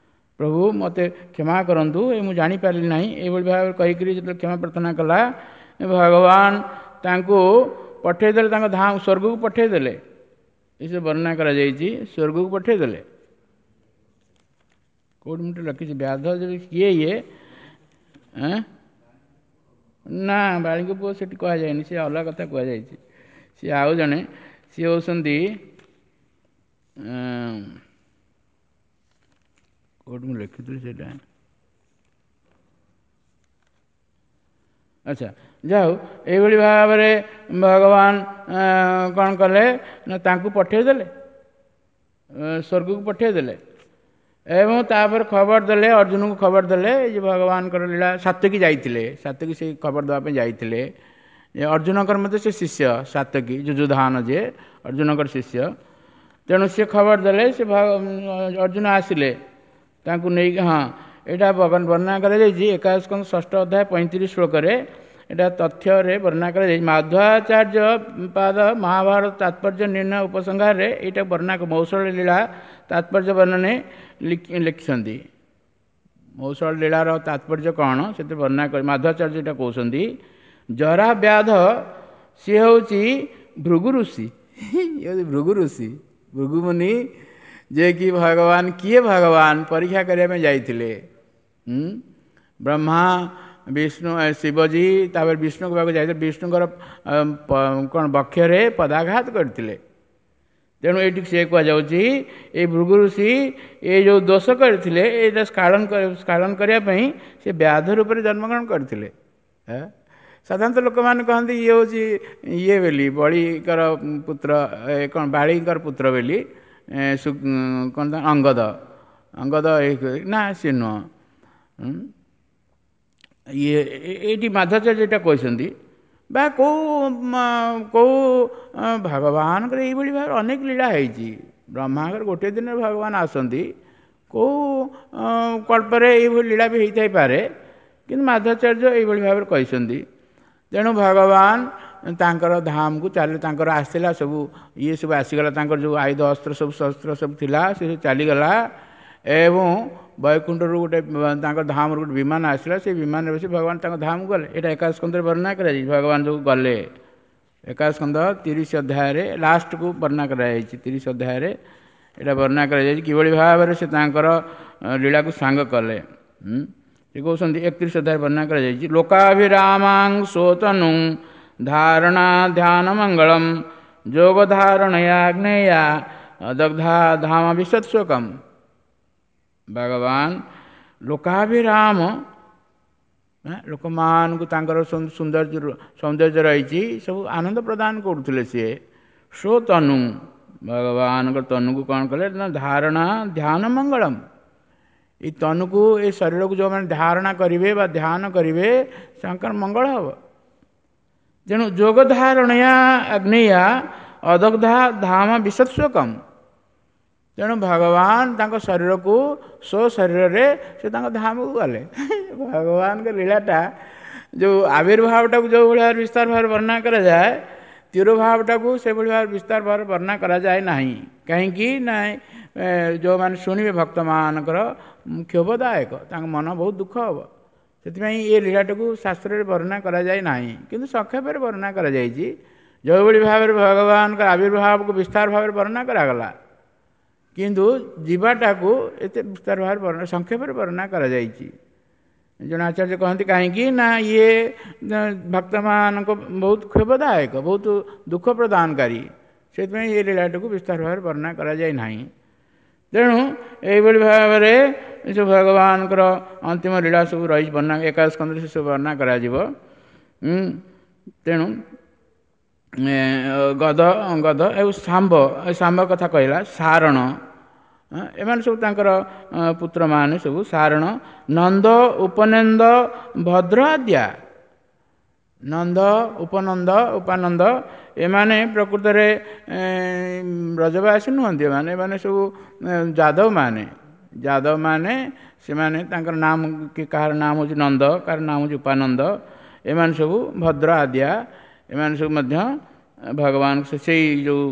ପ୍ରଭୁ, ମୋତେ କ୍ଷମା କରନ୍ତୁ, ଏ ମୁଁ ଜାଣିପାରିଲି ନାହିଁ। ଏଇଭଳି ଭାବରେ କହିକିରି ଯେତେବେଳେ କ୍ଷମା ପ୍ରାର୍ଥନା କଲା, ଭଗବାନ ତାଙ୍କୁ ପଠେଇଦେଲେ, ତାଙ୍କ ଧାମ ସ୍ୱର୍ଗକୁ ପଠେଇଦେଲେ। ଏସବୁ ବର୍ଣ୍ଣନା କରାଯାଇଛି, ସ୍ୱର୍ଗକୁ ପଠେଇଦେଲେ। କେଉଁଠି ମୁଁ ରଖିଛି ବ୍ୟାଧ ଯଦି କିଏ ଇଏ? ନା, ବାଳିଙ୍କ ପୁଅ ସେଠି କୁହାଯାଇନି, ସେ ଅଲଗା କଥା କୁହାଯାଇଛି। ସିଏ ଆଉ ଜଣେ, ସିଏ ହେଉଛନ୍ତି, କେଉଁଠି ମୁଁ ଲେଖିଥିଲି ସେଇଟା। ଆଚ୍ଛା, ଯାଉ। ଏଇଭଳି ଭାବରେ ଭଗବାନ କ'ଣ କଲେ ନା ତାଙ୍କୁ ପଠେଇଦେଲେ, ସ୍ୱର୍ଗକୁ ପଠେଇଦେଲେ ଏବଂ ତାପରେ ଖବର ଦେଲେ, ଅର୍ଜୁନଙ୍କୁ ଖବର ଦେଲେ ଏଇ ଯେ ଭଗବାନଙ୍କର ଲୀଳା। ସାତ୍ୟକୀ ଯାଇଥିଲେ, ସାତ୍ୟକୀ ସେଇ ଖବର ଦେବା ପାଇଁ ଯାଇଥିଲେ। ଅର୍ଜୁନଙ୍କର ମଧ୍ୟ ସେ ଶିଷ୍ୟ ସାତ୍ୟକୀ, ଯୁଯୁଧାନ ଯିଏ ଅର୍ଜୁନଙ୍କର ଶିଷ୍ୟ। ତେଣୁ ସେ ଖବର ଦେଲେ, ସେ ଅର୍ଜୁନ ଆସିଲେ ତାଙ୍କୁ ନେଇକି। ହଁ, ଏଇଟା ବର୍ଣ୍ଣନା କରାଯାଇଛି ଏକାଦଶ ସ୍କନ୍ଧ ଷଷ୍ଠ ଅଧ୍ୟାୟ 35 ଶ୍ଲୋକରେ। ଏଇଟା ତଥ୍ୟରେ ବର୍ଣ୍ଣନା କରାଯାଇଛି। ମାଧ୍ୱାଚାର୍ଯ୍ୟ ପାଦ ମହାଭାରତ ତାତ୍ପର୍ଯ୍ୟ ନିର୍ଣ୍ଣୟ ଉପସଂହାରରେ ଏଇଟା ବର୍ଣ୍ଣନା, ମୌସଳ ଲୀଳା ତାତ୍ପର୍ଯ୍ୟ ବର୍ଣ୍ଣନେ ଲେଖିଛନ୍ତି। ମୌସଳ ଲୀଳାର ତାତ୍ପର୍ଯ୍ୟ କ'ଣ ସେଥିରେ ବର୍ଣ୍ଣନା କରି ମାଧ୍ୱାଚାର୍ଯ୍ୟ ଏଇଟା କହୁଛନ୍ତି। ଜରା ବ୍ୟାଧ ସିଏ ହେଉଛି ଭୃଗୁ ଋଷି, ଇଏ ହେଉଛି ଭୃଗୁ ଋଷି, ଭୃଗୁମୁନି, ଯିଏକି ଭଗବାନ କିଏ, ଭଗବାନ ପରୀକ୍ଷା କରିବା ପାଇଁ ଯାଇଥିଲେ ବ୍ରହ୍ମା, ବିଷ୍ଣୁ, ଶିବଜୀ, ତାପରେ ବିଷ୍ଣୁଙ୍କ ପାଖକୁ ଯାଇଥିଲେ, ବିଷ୍ଣୁଙ୍କର କ'ଣ ବକ୍ଷରେ ପଦାଘାତ କରିଥିଲେ। ତେଣୁ ଏଇଠି ସେ କୁହାଯାଉଛି, ଏଇ ଭୃଗୁ ଋଷି ଏ ଯେଉଁ ଦୋଷ କରିଥିଲେ, ଏଇଟା ସ୍ଖାଳନ କରିବା ପାଇଁ ସେ ବ୍ୟାଧ ରୂପରେ ଜନ୍ମଗ୍ରହଣ କରିଥିଲେ। ସାଧାରଣତଃ ଲୋକମାନେ କହନ୍ତି ଇଏ ହେଉଛି ଇଏ ବୋଲି, ବଳିଙ୍କର ପୁତ୍ର, କ'ଣ ବାଳିଙ୍କର ପୁତ୍ର ବୋଲି, କ'ଣ ଅଙ୍ଗଦ, ଅଙ୍ଗଦ ନା, ସିଏ ନୁହଁ ଇଏ। ଏଇଠି ମାଧ୍ୱାଚାର୍ଯ୍ୟ ଏଇଟା କହିଛନ୍ତି ବା କେଉଁ କେଉଁ ଭଗବାନଙ୍କର ଏଇଭଳି ଭାବରେ ଅନେକ ଲୀଳା ହେଇଛି। ବ୍ରହ୍ମାଙ୍କର ଗୋଟିଏ ଦିନରେ ଭଗବାନ ଆସନ୍ତି, କେଉଁ କଳ୍ପରେ ଏଇଭଳି ଲୀଳା ବି ହେଇଥାଇପାରେ, କିନ୍ତୁ ମାଧ୍ୱାଚାର୍ଯ୍ୟ ଏଇଭଳି ଭାବରେ କହିଛନ୍ତି। ତେଣୁ ଭଗବାନ ତାଙ୍କର ଧାମକୁ ଚାଲି, ତାଙ୍କର ଆସିଲା ସବୁ ଇଏ ସବୁ ଆସିଗଲା, ତାଙ୍କର ଯେଉଁ ଆୟୁଧ ଅସ୍ତ୍ର ସବୁ ଶସ୍ତ୍ର ସବୁ ଥିଲା ସେ ସବୁ ଚାଲିଗଲା ଏବଂ ବୈକୁଣ୍ଠରୁ ଗୋଟେ ତାଙ୍କ ଧାମରୁ ଗୋଟେ ବିମାନ ଆସିଲା। ସେ ବିମାନରେ ବସି ଭଗବାନ ତାଙ୍କ ଧାମକୁ ଗଲେ। ଏଇଟା ଏକାଦଶ ସ୍କନ୍ଧରେ ବର୍ଣ୍ଣନା କରାଯାଇଛି। ଭଗବାନ ଯେଉଁ ଗଲେ, ଏକାଦଶ ସ୍କନ୍ଧ 30 ଅଧ୍ୟାୟରେ ଲାଷ୍ଟକୁ ବର୍ଣ୍ଣନା କରାଯାଇଛି। 30 ଅଧ୍ୟାୟରେ ଏଇଟା ବର୍ଣ୍ଣନା କରାଯାଇଛି କିଭଳି ଭାବରେ ସେ ତାଙ୍କର ଲୀଳାକୁ ସାଙ୍ଗ କଲେ। ସେ କହୁଛନ୍ତି, 31 ଅଧ୍ୟାୟରେ ବର୍ଣ୍ଣନା କରାଯାଇଛି, ଲୋକାଭିରାମାଂ ସୋତନୁ ଧାରଣା ଧ୍ୟାନ ମଙ୍ଗଳମ ଯୋଗ ଧାରଣୟାଗ୍ନେୟା ଦଗ୍ଧା ଧାମ ବିଶ୍ୱତ୍ସୋକମ୍। ଭଗବାନ ଲୋକାଭିରାମ, ଲୋକମାନଙ୍କୁ ତାଙ୍କର ସୌନ୍ଦର୍ଯ୍ୟ ସୌନ୍ଦର୍ଯ୍ୟ ରହିଛି, ସବୁ ଆନନ୍ଦ ପ୍ରଦାନ କରୁଥିଲେ ସିଏ। ସ୍ୱତନୁ, ଭଗବାନଙ୍କ ତନୁକୁ କ'ଣ କଲେ ନା ଧାରଣା ଧ୍ୟାନ ମଙ୍ଗଳମ, ଏଇ ତନୁକୁ, ଏ ଶରୀରକୁ ଯେଉଁମାନେ ଧାରଣା କରିବେ ବା ଧ୍ୟାନ କରିବେ, ତାଙ୍କର ମଙ୍ଗଳ ହେବ। ତେଣୁ ଯୋଗ ଧାରଣୟା ଅଗ୍ନେୟା ଅଦଗ୍ଧା ଧାମ ବିଶତ୍ସ୍ୱକମ୍। ତେଣୁ ଭଗବାନ ତାଙ୍କ ଶରୀରକୁ ସ୍ୱ ଶରୀରରେ ସେ ତାଙ୍କ ଧାମକୁ ଗଲେ। ଭଗବାନଙ୍କ ଲୀଳାଟା ଯେଉଁ ଆବିର୍ଭାବଟାକୁ ଯେଉଁ ଭଳି ଭାବରେ ବିସ୍ତାର ଭାବରେ ବର୍ଣ୍ଣନା କରାଯାଏ, ତିରୋଭାବଟାକୁ ସେଭଳି ଭାବରେ ବିସ୍ତାର ଭାବରେ ବର୍ଣ୍ଣନା କରାଯାଏ ନାହିଁ। କାହିଁକି ନା ଯେଉଁମାନେ ଶୁଣିବେ ଭକ୍ତମାନଙ୍କର କ୍ଷୋଭଦାୟକ, ତାଙ୍କ ମନ ବହୁତ ଦୁଃଖ ହେବ। ସେଥିପାଇଁ ଏ ଲୀଳାଟାକୁ ଶାସ୍ତ୍ରରେ ବର୍ଣ୍ଣନା କରାଯାଏ ନାହିଁ, କିନ୍ତୁ ସଂକ୍ଷେପରେ ବର୍ଣ୍ଣନା କରାଯାଇଛି। ଯେଉଁଭଳି ଭାବରେ ଭଗବାନଙ୍କ ଆବିର୍ଭାବକୁ ବିସ୍ତାର ଭାବରେ ବର୍ଣ୍ଣନା କରାଗଲା, କିନ୍ତୁ ଯିବାଟାକୁ ଏତେ ବିସ୍ତାର ଭାବରେ ବର୍ଣ୍ଣନା, ସଂକ୍ଷେପରେ ବର୍ଣ୍ଣନା କରାଯାଇଛି। ଜଣେ ଆଚାର୍ଯ୍ୟ କହନ୍ତି କାହିଁକି ନା ଇଏ ଭକ୍ତମାନଙ୍କ ବହୁତ କ୍ଷୋଭଦାୟକ, ବହୁତ ଦୁଃଖ ପ୍ରଦାନକାରୀ, ସେଥିପାଇଁ ଏ ଲୀଳାଟିକୁ ବିସ୍ତାର ଭାବରେ ବର୍ଣ୍ଣନା କରାଯାଇ ନାହିଁ। ତେଣୁ ଏଇଭଳି ଭାବରେ ଏସବୁ ଭଗବାନଙ୍କର ଅନ୍ତିମ ଲୀଳା ସବୁ ରହିଛି ବର୍ଣ୍ଣନା, ଏକାଦଶ ସ୍କନ୍ଧରେ ସେସବୁ ବର୍ଣ୍ଣନା କରାଯିବ। ତେଣୁ ଗଦ ଗଦ ଆଉ ଶାମ୍ବ, ଶାମ୍ବ କଥା କହିଲା, ସାରଣ, ଏମାନେ ସବୁ ତାଙ୍କର ପୁତ୍ରମାନେ ସବୁ, ସାରଣ, ନନ୍ଦ, ଉପନନ୍ଦ, ଭଦ୍ର ଆଦ୍ୟା। ନନ୍ଦ, ଉପନନ୍ଦ, ଉପାନନ୍ଦ ଏମାନେ ପ୍ରକୃତରେ ବ୍ରଜବାସୀ ନୁହନ୍ତି, ଏମାନେ ସବୁ ଯାଦବମାନେ। ଯାଦବମାନେ ସେମାନେ ତାଙ୍କର ନାମ, କାହାର ନାମ ହେଉଛି ନନ୍ଦ, କାହାର ନାମ ହେଉଛି ଉପାନନ୍ଦ, ଏମାନେ ସବୁ ଭଦ୍ର ଆଦ୍ୟା, ଏମାନେ ସବୁ ମଧ୍ୟ ଭଗବାନ ସେଇ ଯେଉଁ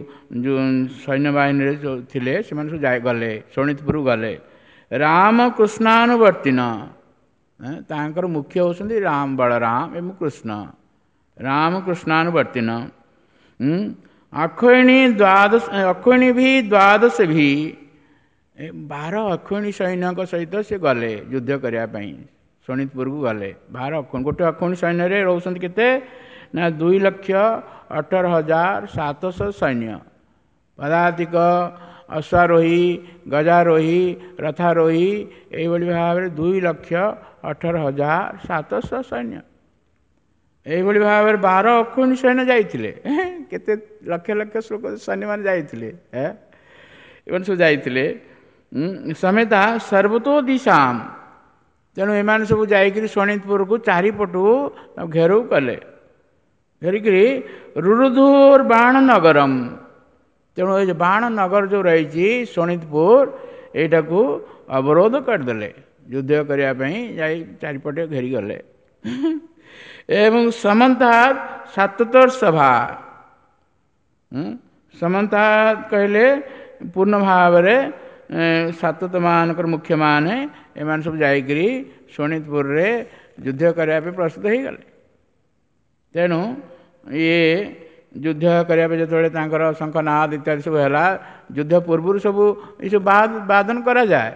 ଯେଉଁ ସୈନ୍ୟବାହିନୀରେ ଯେଉଁ ଥିଲେ ସେମାନେ ସବୁ ଯାଇ ଗଲେ ଶୋଣିତପୁରକୁ ଗଲେ। ରାମକୃଷ୍ଣାନୁବର୍ତ୍ତିନ, ତାଙ୍କର ମୁଖ୍ୟ ହେଉଛନ୍ତି ରାମ, ବଳରାମ ଏବଂ କୃଷ୍ଣ। ରାମକୃଷ୍ଣାନୁବର୍ତ୍ତିନ ଅକ୍ଷୟଣୀ ଦ୍ୱାଦଶ, ଅକ୍ଷୟଣୀ ବି ଦ୍ୱାଦଶ ବି, 12 ଅକ୍ଷୟଣୀ ସୈନ୍ୟଙ୍କ ସହିତ ସେ ଗଲେ ଯୁଦ୍ଧ କରିବା ପାଇଁ ଶୋଣିତପୁରକୁ ଗଲେ। 12 ଅକ୍ଷୟଣୀ, ଗୋଟେ ଅକ୍ଷୟଣୀ ସୈନ୍ୟରେ ରହୁଛନ୍ତି କେତେ ନା 2,18,700 ସୈନ୍ୟ, ପଦାତିକ, ଅଶ୍ୱାରୋହୀ, ଗଜାରୋହୀ, ରଥାରୋହୀ, ଏଇଭଳି ଭାବରେ 2,18,700 ସୈନ୍ୟ। ଏଇଭଳି ଭାବରେ 12 ଅକ୍ଷୟଣୀ ସୈନ୍ୟ ଯାଇଥିଲେ। କେତେ ଲକ୍ଷ ଲକ୍ଷ ସୈନ୍ୟମାନେ ଯାଇଥିଲେ, ଏମାନେ ସବୁ ଯାଇଥିଲେ ସମେତା ସର୍ବତୋ ଦିଶାମ। ତେଣୁ ଏମାନେ ସବୁ ଯାଇକରି ଶୋଣିତପୁରକୁ ଚାରିପଟୁ ଘେରାଉ କଲେ, ଘେରିକିରି ରୁରୁଧୁର ବାଣ ନଗରମ। ତେଣୁ ଏ ଯେଉଁ ବାଣ ନଗର ଯେଉଁ ରହିଛି ଶୋଣିତପୁର, ଏଇଟାକୁ ଅବରୋଧ କରିଦେଲେ, ଯୁଦ୍ଧ କରିବା ପାଇଁ ଯାଇ ଚାରିପଟେ ଘେରିଗଲେ। ଏବଂ ସମନ୍ତାତ ସାତୋତ୍ତର ସଭା, ସମନ୍ତାତ କହିଲେ ପୂର୍ଣ୍ଣ ଭାବରେ ସାତତମାନଙ୍କର ମୁଖ୍ୟମାନେ ଏମାନେ ସବୁ ଯାଇକରି ଶୋଣିତପୁରରେ ଯୁଦ୍ଧ କରିବା ପାଇଁ ପ୍ରସ୍ତୁତ ହୋଇଗଲେ। ତେଣୁ ଇଏ ଯୁଦ୍ଧ କରିବା ପାଇଁ ଯେତେବେଳେ ତାଙ୍କର ଶଙ୍ଖନାଦ ଇତ୍ୟାଦି ସବୁ ହେଲା, ଯୁଦ୍ଧ ପୂର୍ବରୁ ସବୁ ଏସବୁ ବାଦନ କରାଯାଏ।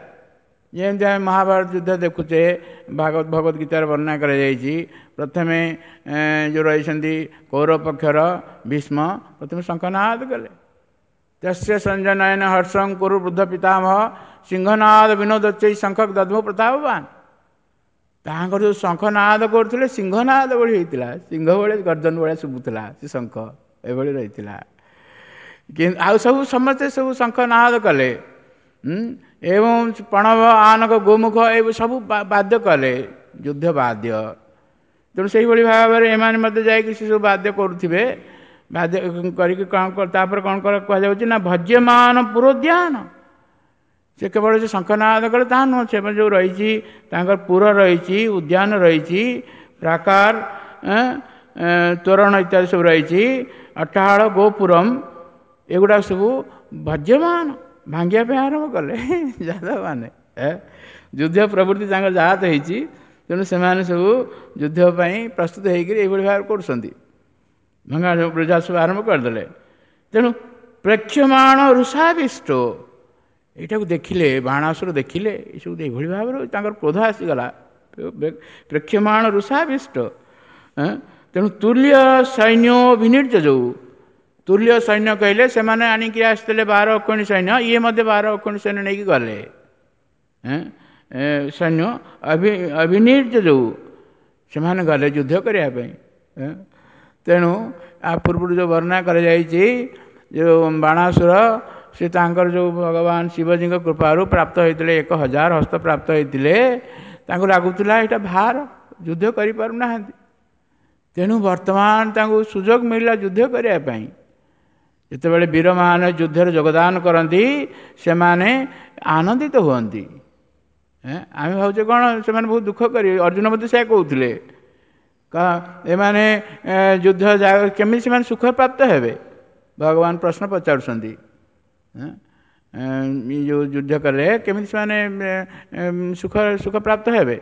ଯେମିତି ଆମେ ମହାଭାରତ ଯୁଦ୍ଧ ଦେଖୁଛେ, ଭାଗବତ ଗୀତାରେ ବର୍ଣ୍ଣନା କରାଯାଇଛି। ପ୍ରଥମେ ଯେଉଁ ରହିଛନ୍ତି କୌରବ ପକ୍ଷର ଭୀଷ୍ମ ପ୍ରଥମେ ଶଙ୍ଖନାଦ କଲେ। ତସ୍ୟ ସଞ୍ଜନୟନ ହର୍ଷଂ କୁରୁ ବୃଦ୍ଧ ପିତାମହ ସିଂହନାଦ ବିନୋଦୋଚ୍ଚୈ ଶଙ୍ଖ ଦଦ୍ମୁ ପ୍ରତାପବାନ। ତାଙ୍କର ଯେଉଁ ଶଙ୍ଖନାଦ କରୁଥିଲେ ସିଂହନାଦ ଭଳି ହେଇଥିଲା, ସିଂହ ଭଳି ଗର୍ଜନ ଭଳିଆ ଶୁଭୁଥିଲା ସେ ଶଙ୍ଖ, ଏଭଳି ରହିଥିଲା। କିନ୍ତୁ ଆଉ ସବୁ ସମସ୍ତେ ସବୁ ଶଙ୍ଖନାଦ କଲେ ଏବଂ ପଣବ, ଆନକ, ଗୋମୁଖ ଏ ସବୁ ବାଦ୍ୟ କଲେ, ଯୁଦ୍ଧ ବାଦ୍ୟ। ତେଣୁ ସେଇଭଳି ଭାବରେ ଏମାନେ ମଧ୍ୟ ଯାଇକି ସେ ସବୁ ବାଦ୍ୟ କରୁଥିବେ। ବାଦ୍ୟ କରିକି କ'ଣ ତାପରେ କ'ଣ କୁହାଯାଉଛି ନା ଭଜ୍ୟମାନ ପୁରୋଦ୍ୟାନ। ସେ କେବଳ ଯେ ଶଙ୍ଖନାଦ କଲେ ତାହା ନୁହଁ, ସେମାନେ ଯେଉଁ ରହିଛି ତାଙ୍କର ପୁର ରହିଛି, ଉଦ୍ୟାନ ରହିଛି, ପ୍ରାକାର, ତୋରଣ ଇତ୍ୟାଦି ସବୁ ରହିଛି, ଅଟ୍ଟାହାଳ, ଗୋପୁରମ, ଏଗୁଡ଼ାକ ସବୁ ଭଜ୍ୟମାନ ଭାଙ୍ଗିବା ପାଇଁ ଆରମ୍ଭ କଲେ ଯାଦବମାନେ। ଯୁଦ୍ଧ ପ୍ରବୃତ୍ତି ତାଙ୍କର ଜାତ ହେଇଛି, ତେଣୁ ସେମାନେ ସବୁ ଯୁଦ୍ଧ ପାଇଁ ପ୍ରସ୍ତୁତ ହେଇକରି ଏଇଭଳି ଭାବରେ କରୁଛନ୍ତି, ଭଙ୍ଗା ବୃଜା ସବୁ ଆରମ୍ଭ କରିଦେଲେ। ତେଣୁ ପ୍ରେକ୍ଷମାଣ ଋଷାବିଷ୍ଟ, ଏଇଟାକୁ ଦେଖିଲେ ବାଣାସୁର ଦେଖିଲେ ଏସବୁ ଏଇଭଳି ଭାବରେ ତାଙ୍କର କ୍ରୋଧ ଆସିଗଲା। ପ୍ରେକ୍ଷମାଣ ଋଷାବିଷ୍ଟ, ତେଣୁ ତୁଲ୍ୟ ସୈନ୍ୟ ବିନିର୍ଜ, ଯେଉଁ ତୁଲ୍ୟ ସୈନ୍ୟ କହିଲେ ସେମାନେ ଆଣିକି ଆସିଥିଲେ 12 ଅକ୍ଷୟଣୀ ସୈନ୍ୟ, ଇଏ ମଧ୍ୟ 12 ଅକ୍ଷୟଣୀ ସୈନ୍ୟ ନେଇକି ଗଲେ। ସୈନ୍ୟ ଅଭିନିର୍ଜ ଯେଉଁ ସେମାନେ ଗଲେ ଯୁଦ୍ଧ କରିବା ପାଇଁ। ତେଣୁ ଆ ପୂର୍ବରୁ ଯେଉଁ ବର୍ଣ୍ଣନା କରାଯାଇଛି, ଯେଉଁ ବାଣାସୁର ସେ ତାଙ୍କର ଯେଉଁ ଭଗବାନ ଶିବଜୀଙ୍କ କୃପାରୁ ପ୍ରାପ୍ତ ହୋଇଥିଲେ 1000 ହସ୍ତ ପ୍ରାପ୍ତ ହୋଇଥିଲେ, ତାଙ୍କୁ ଲାଗୁଥିଲା ଏଇଟା ଭାର, ଯୁଦ୍ଧ କରିପାରୁନାହାନ୍ତି। ତେଣୁ ବର୍ତ୍ତମାନ ତାଙ୍କୁ ସୁଯୋଗ ମିଳିଲା ଯୁଦ୍ଧ କରିବା ପାଇଁ। ଯେତେବେଳେ ବୀରମାନେ ଯୁଦ୍ଧରେ ଯୋଗଦାନ କରନ୍ତି ସେମାନେ ଆନନ୍ଦିତ ହୁଅନ୍ତି। ଆମେ ଭାବୁଛେ କ'ଣ ସେମାନେ ବହୁତ ଦୁଃଖ କରିବେ, ଅର୍ଜୁନ ମଧ୍ୟ ସେୟା କହୁଥିଲେ, ଏମାନେ ଯୁଦ୍ଧ କେମିତି ସେମାନେ ସୁଖ ପ୍ରାପ୍ତ ହେବେ, ଭଗବାନ ପ୍ରଶ୍ନ ପଚାରୁଛନ୍ତି। ଯେଉଁ ଯୁଦ୍ଧ କଲେ କେମିତି ସେମାନେ ସୁଖ ପ୍ରାପ୍ତ ହେବେ,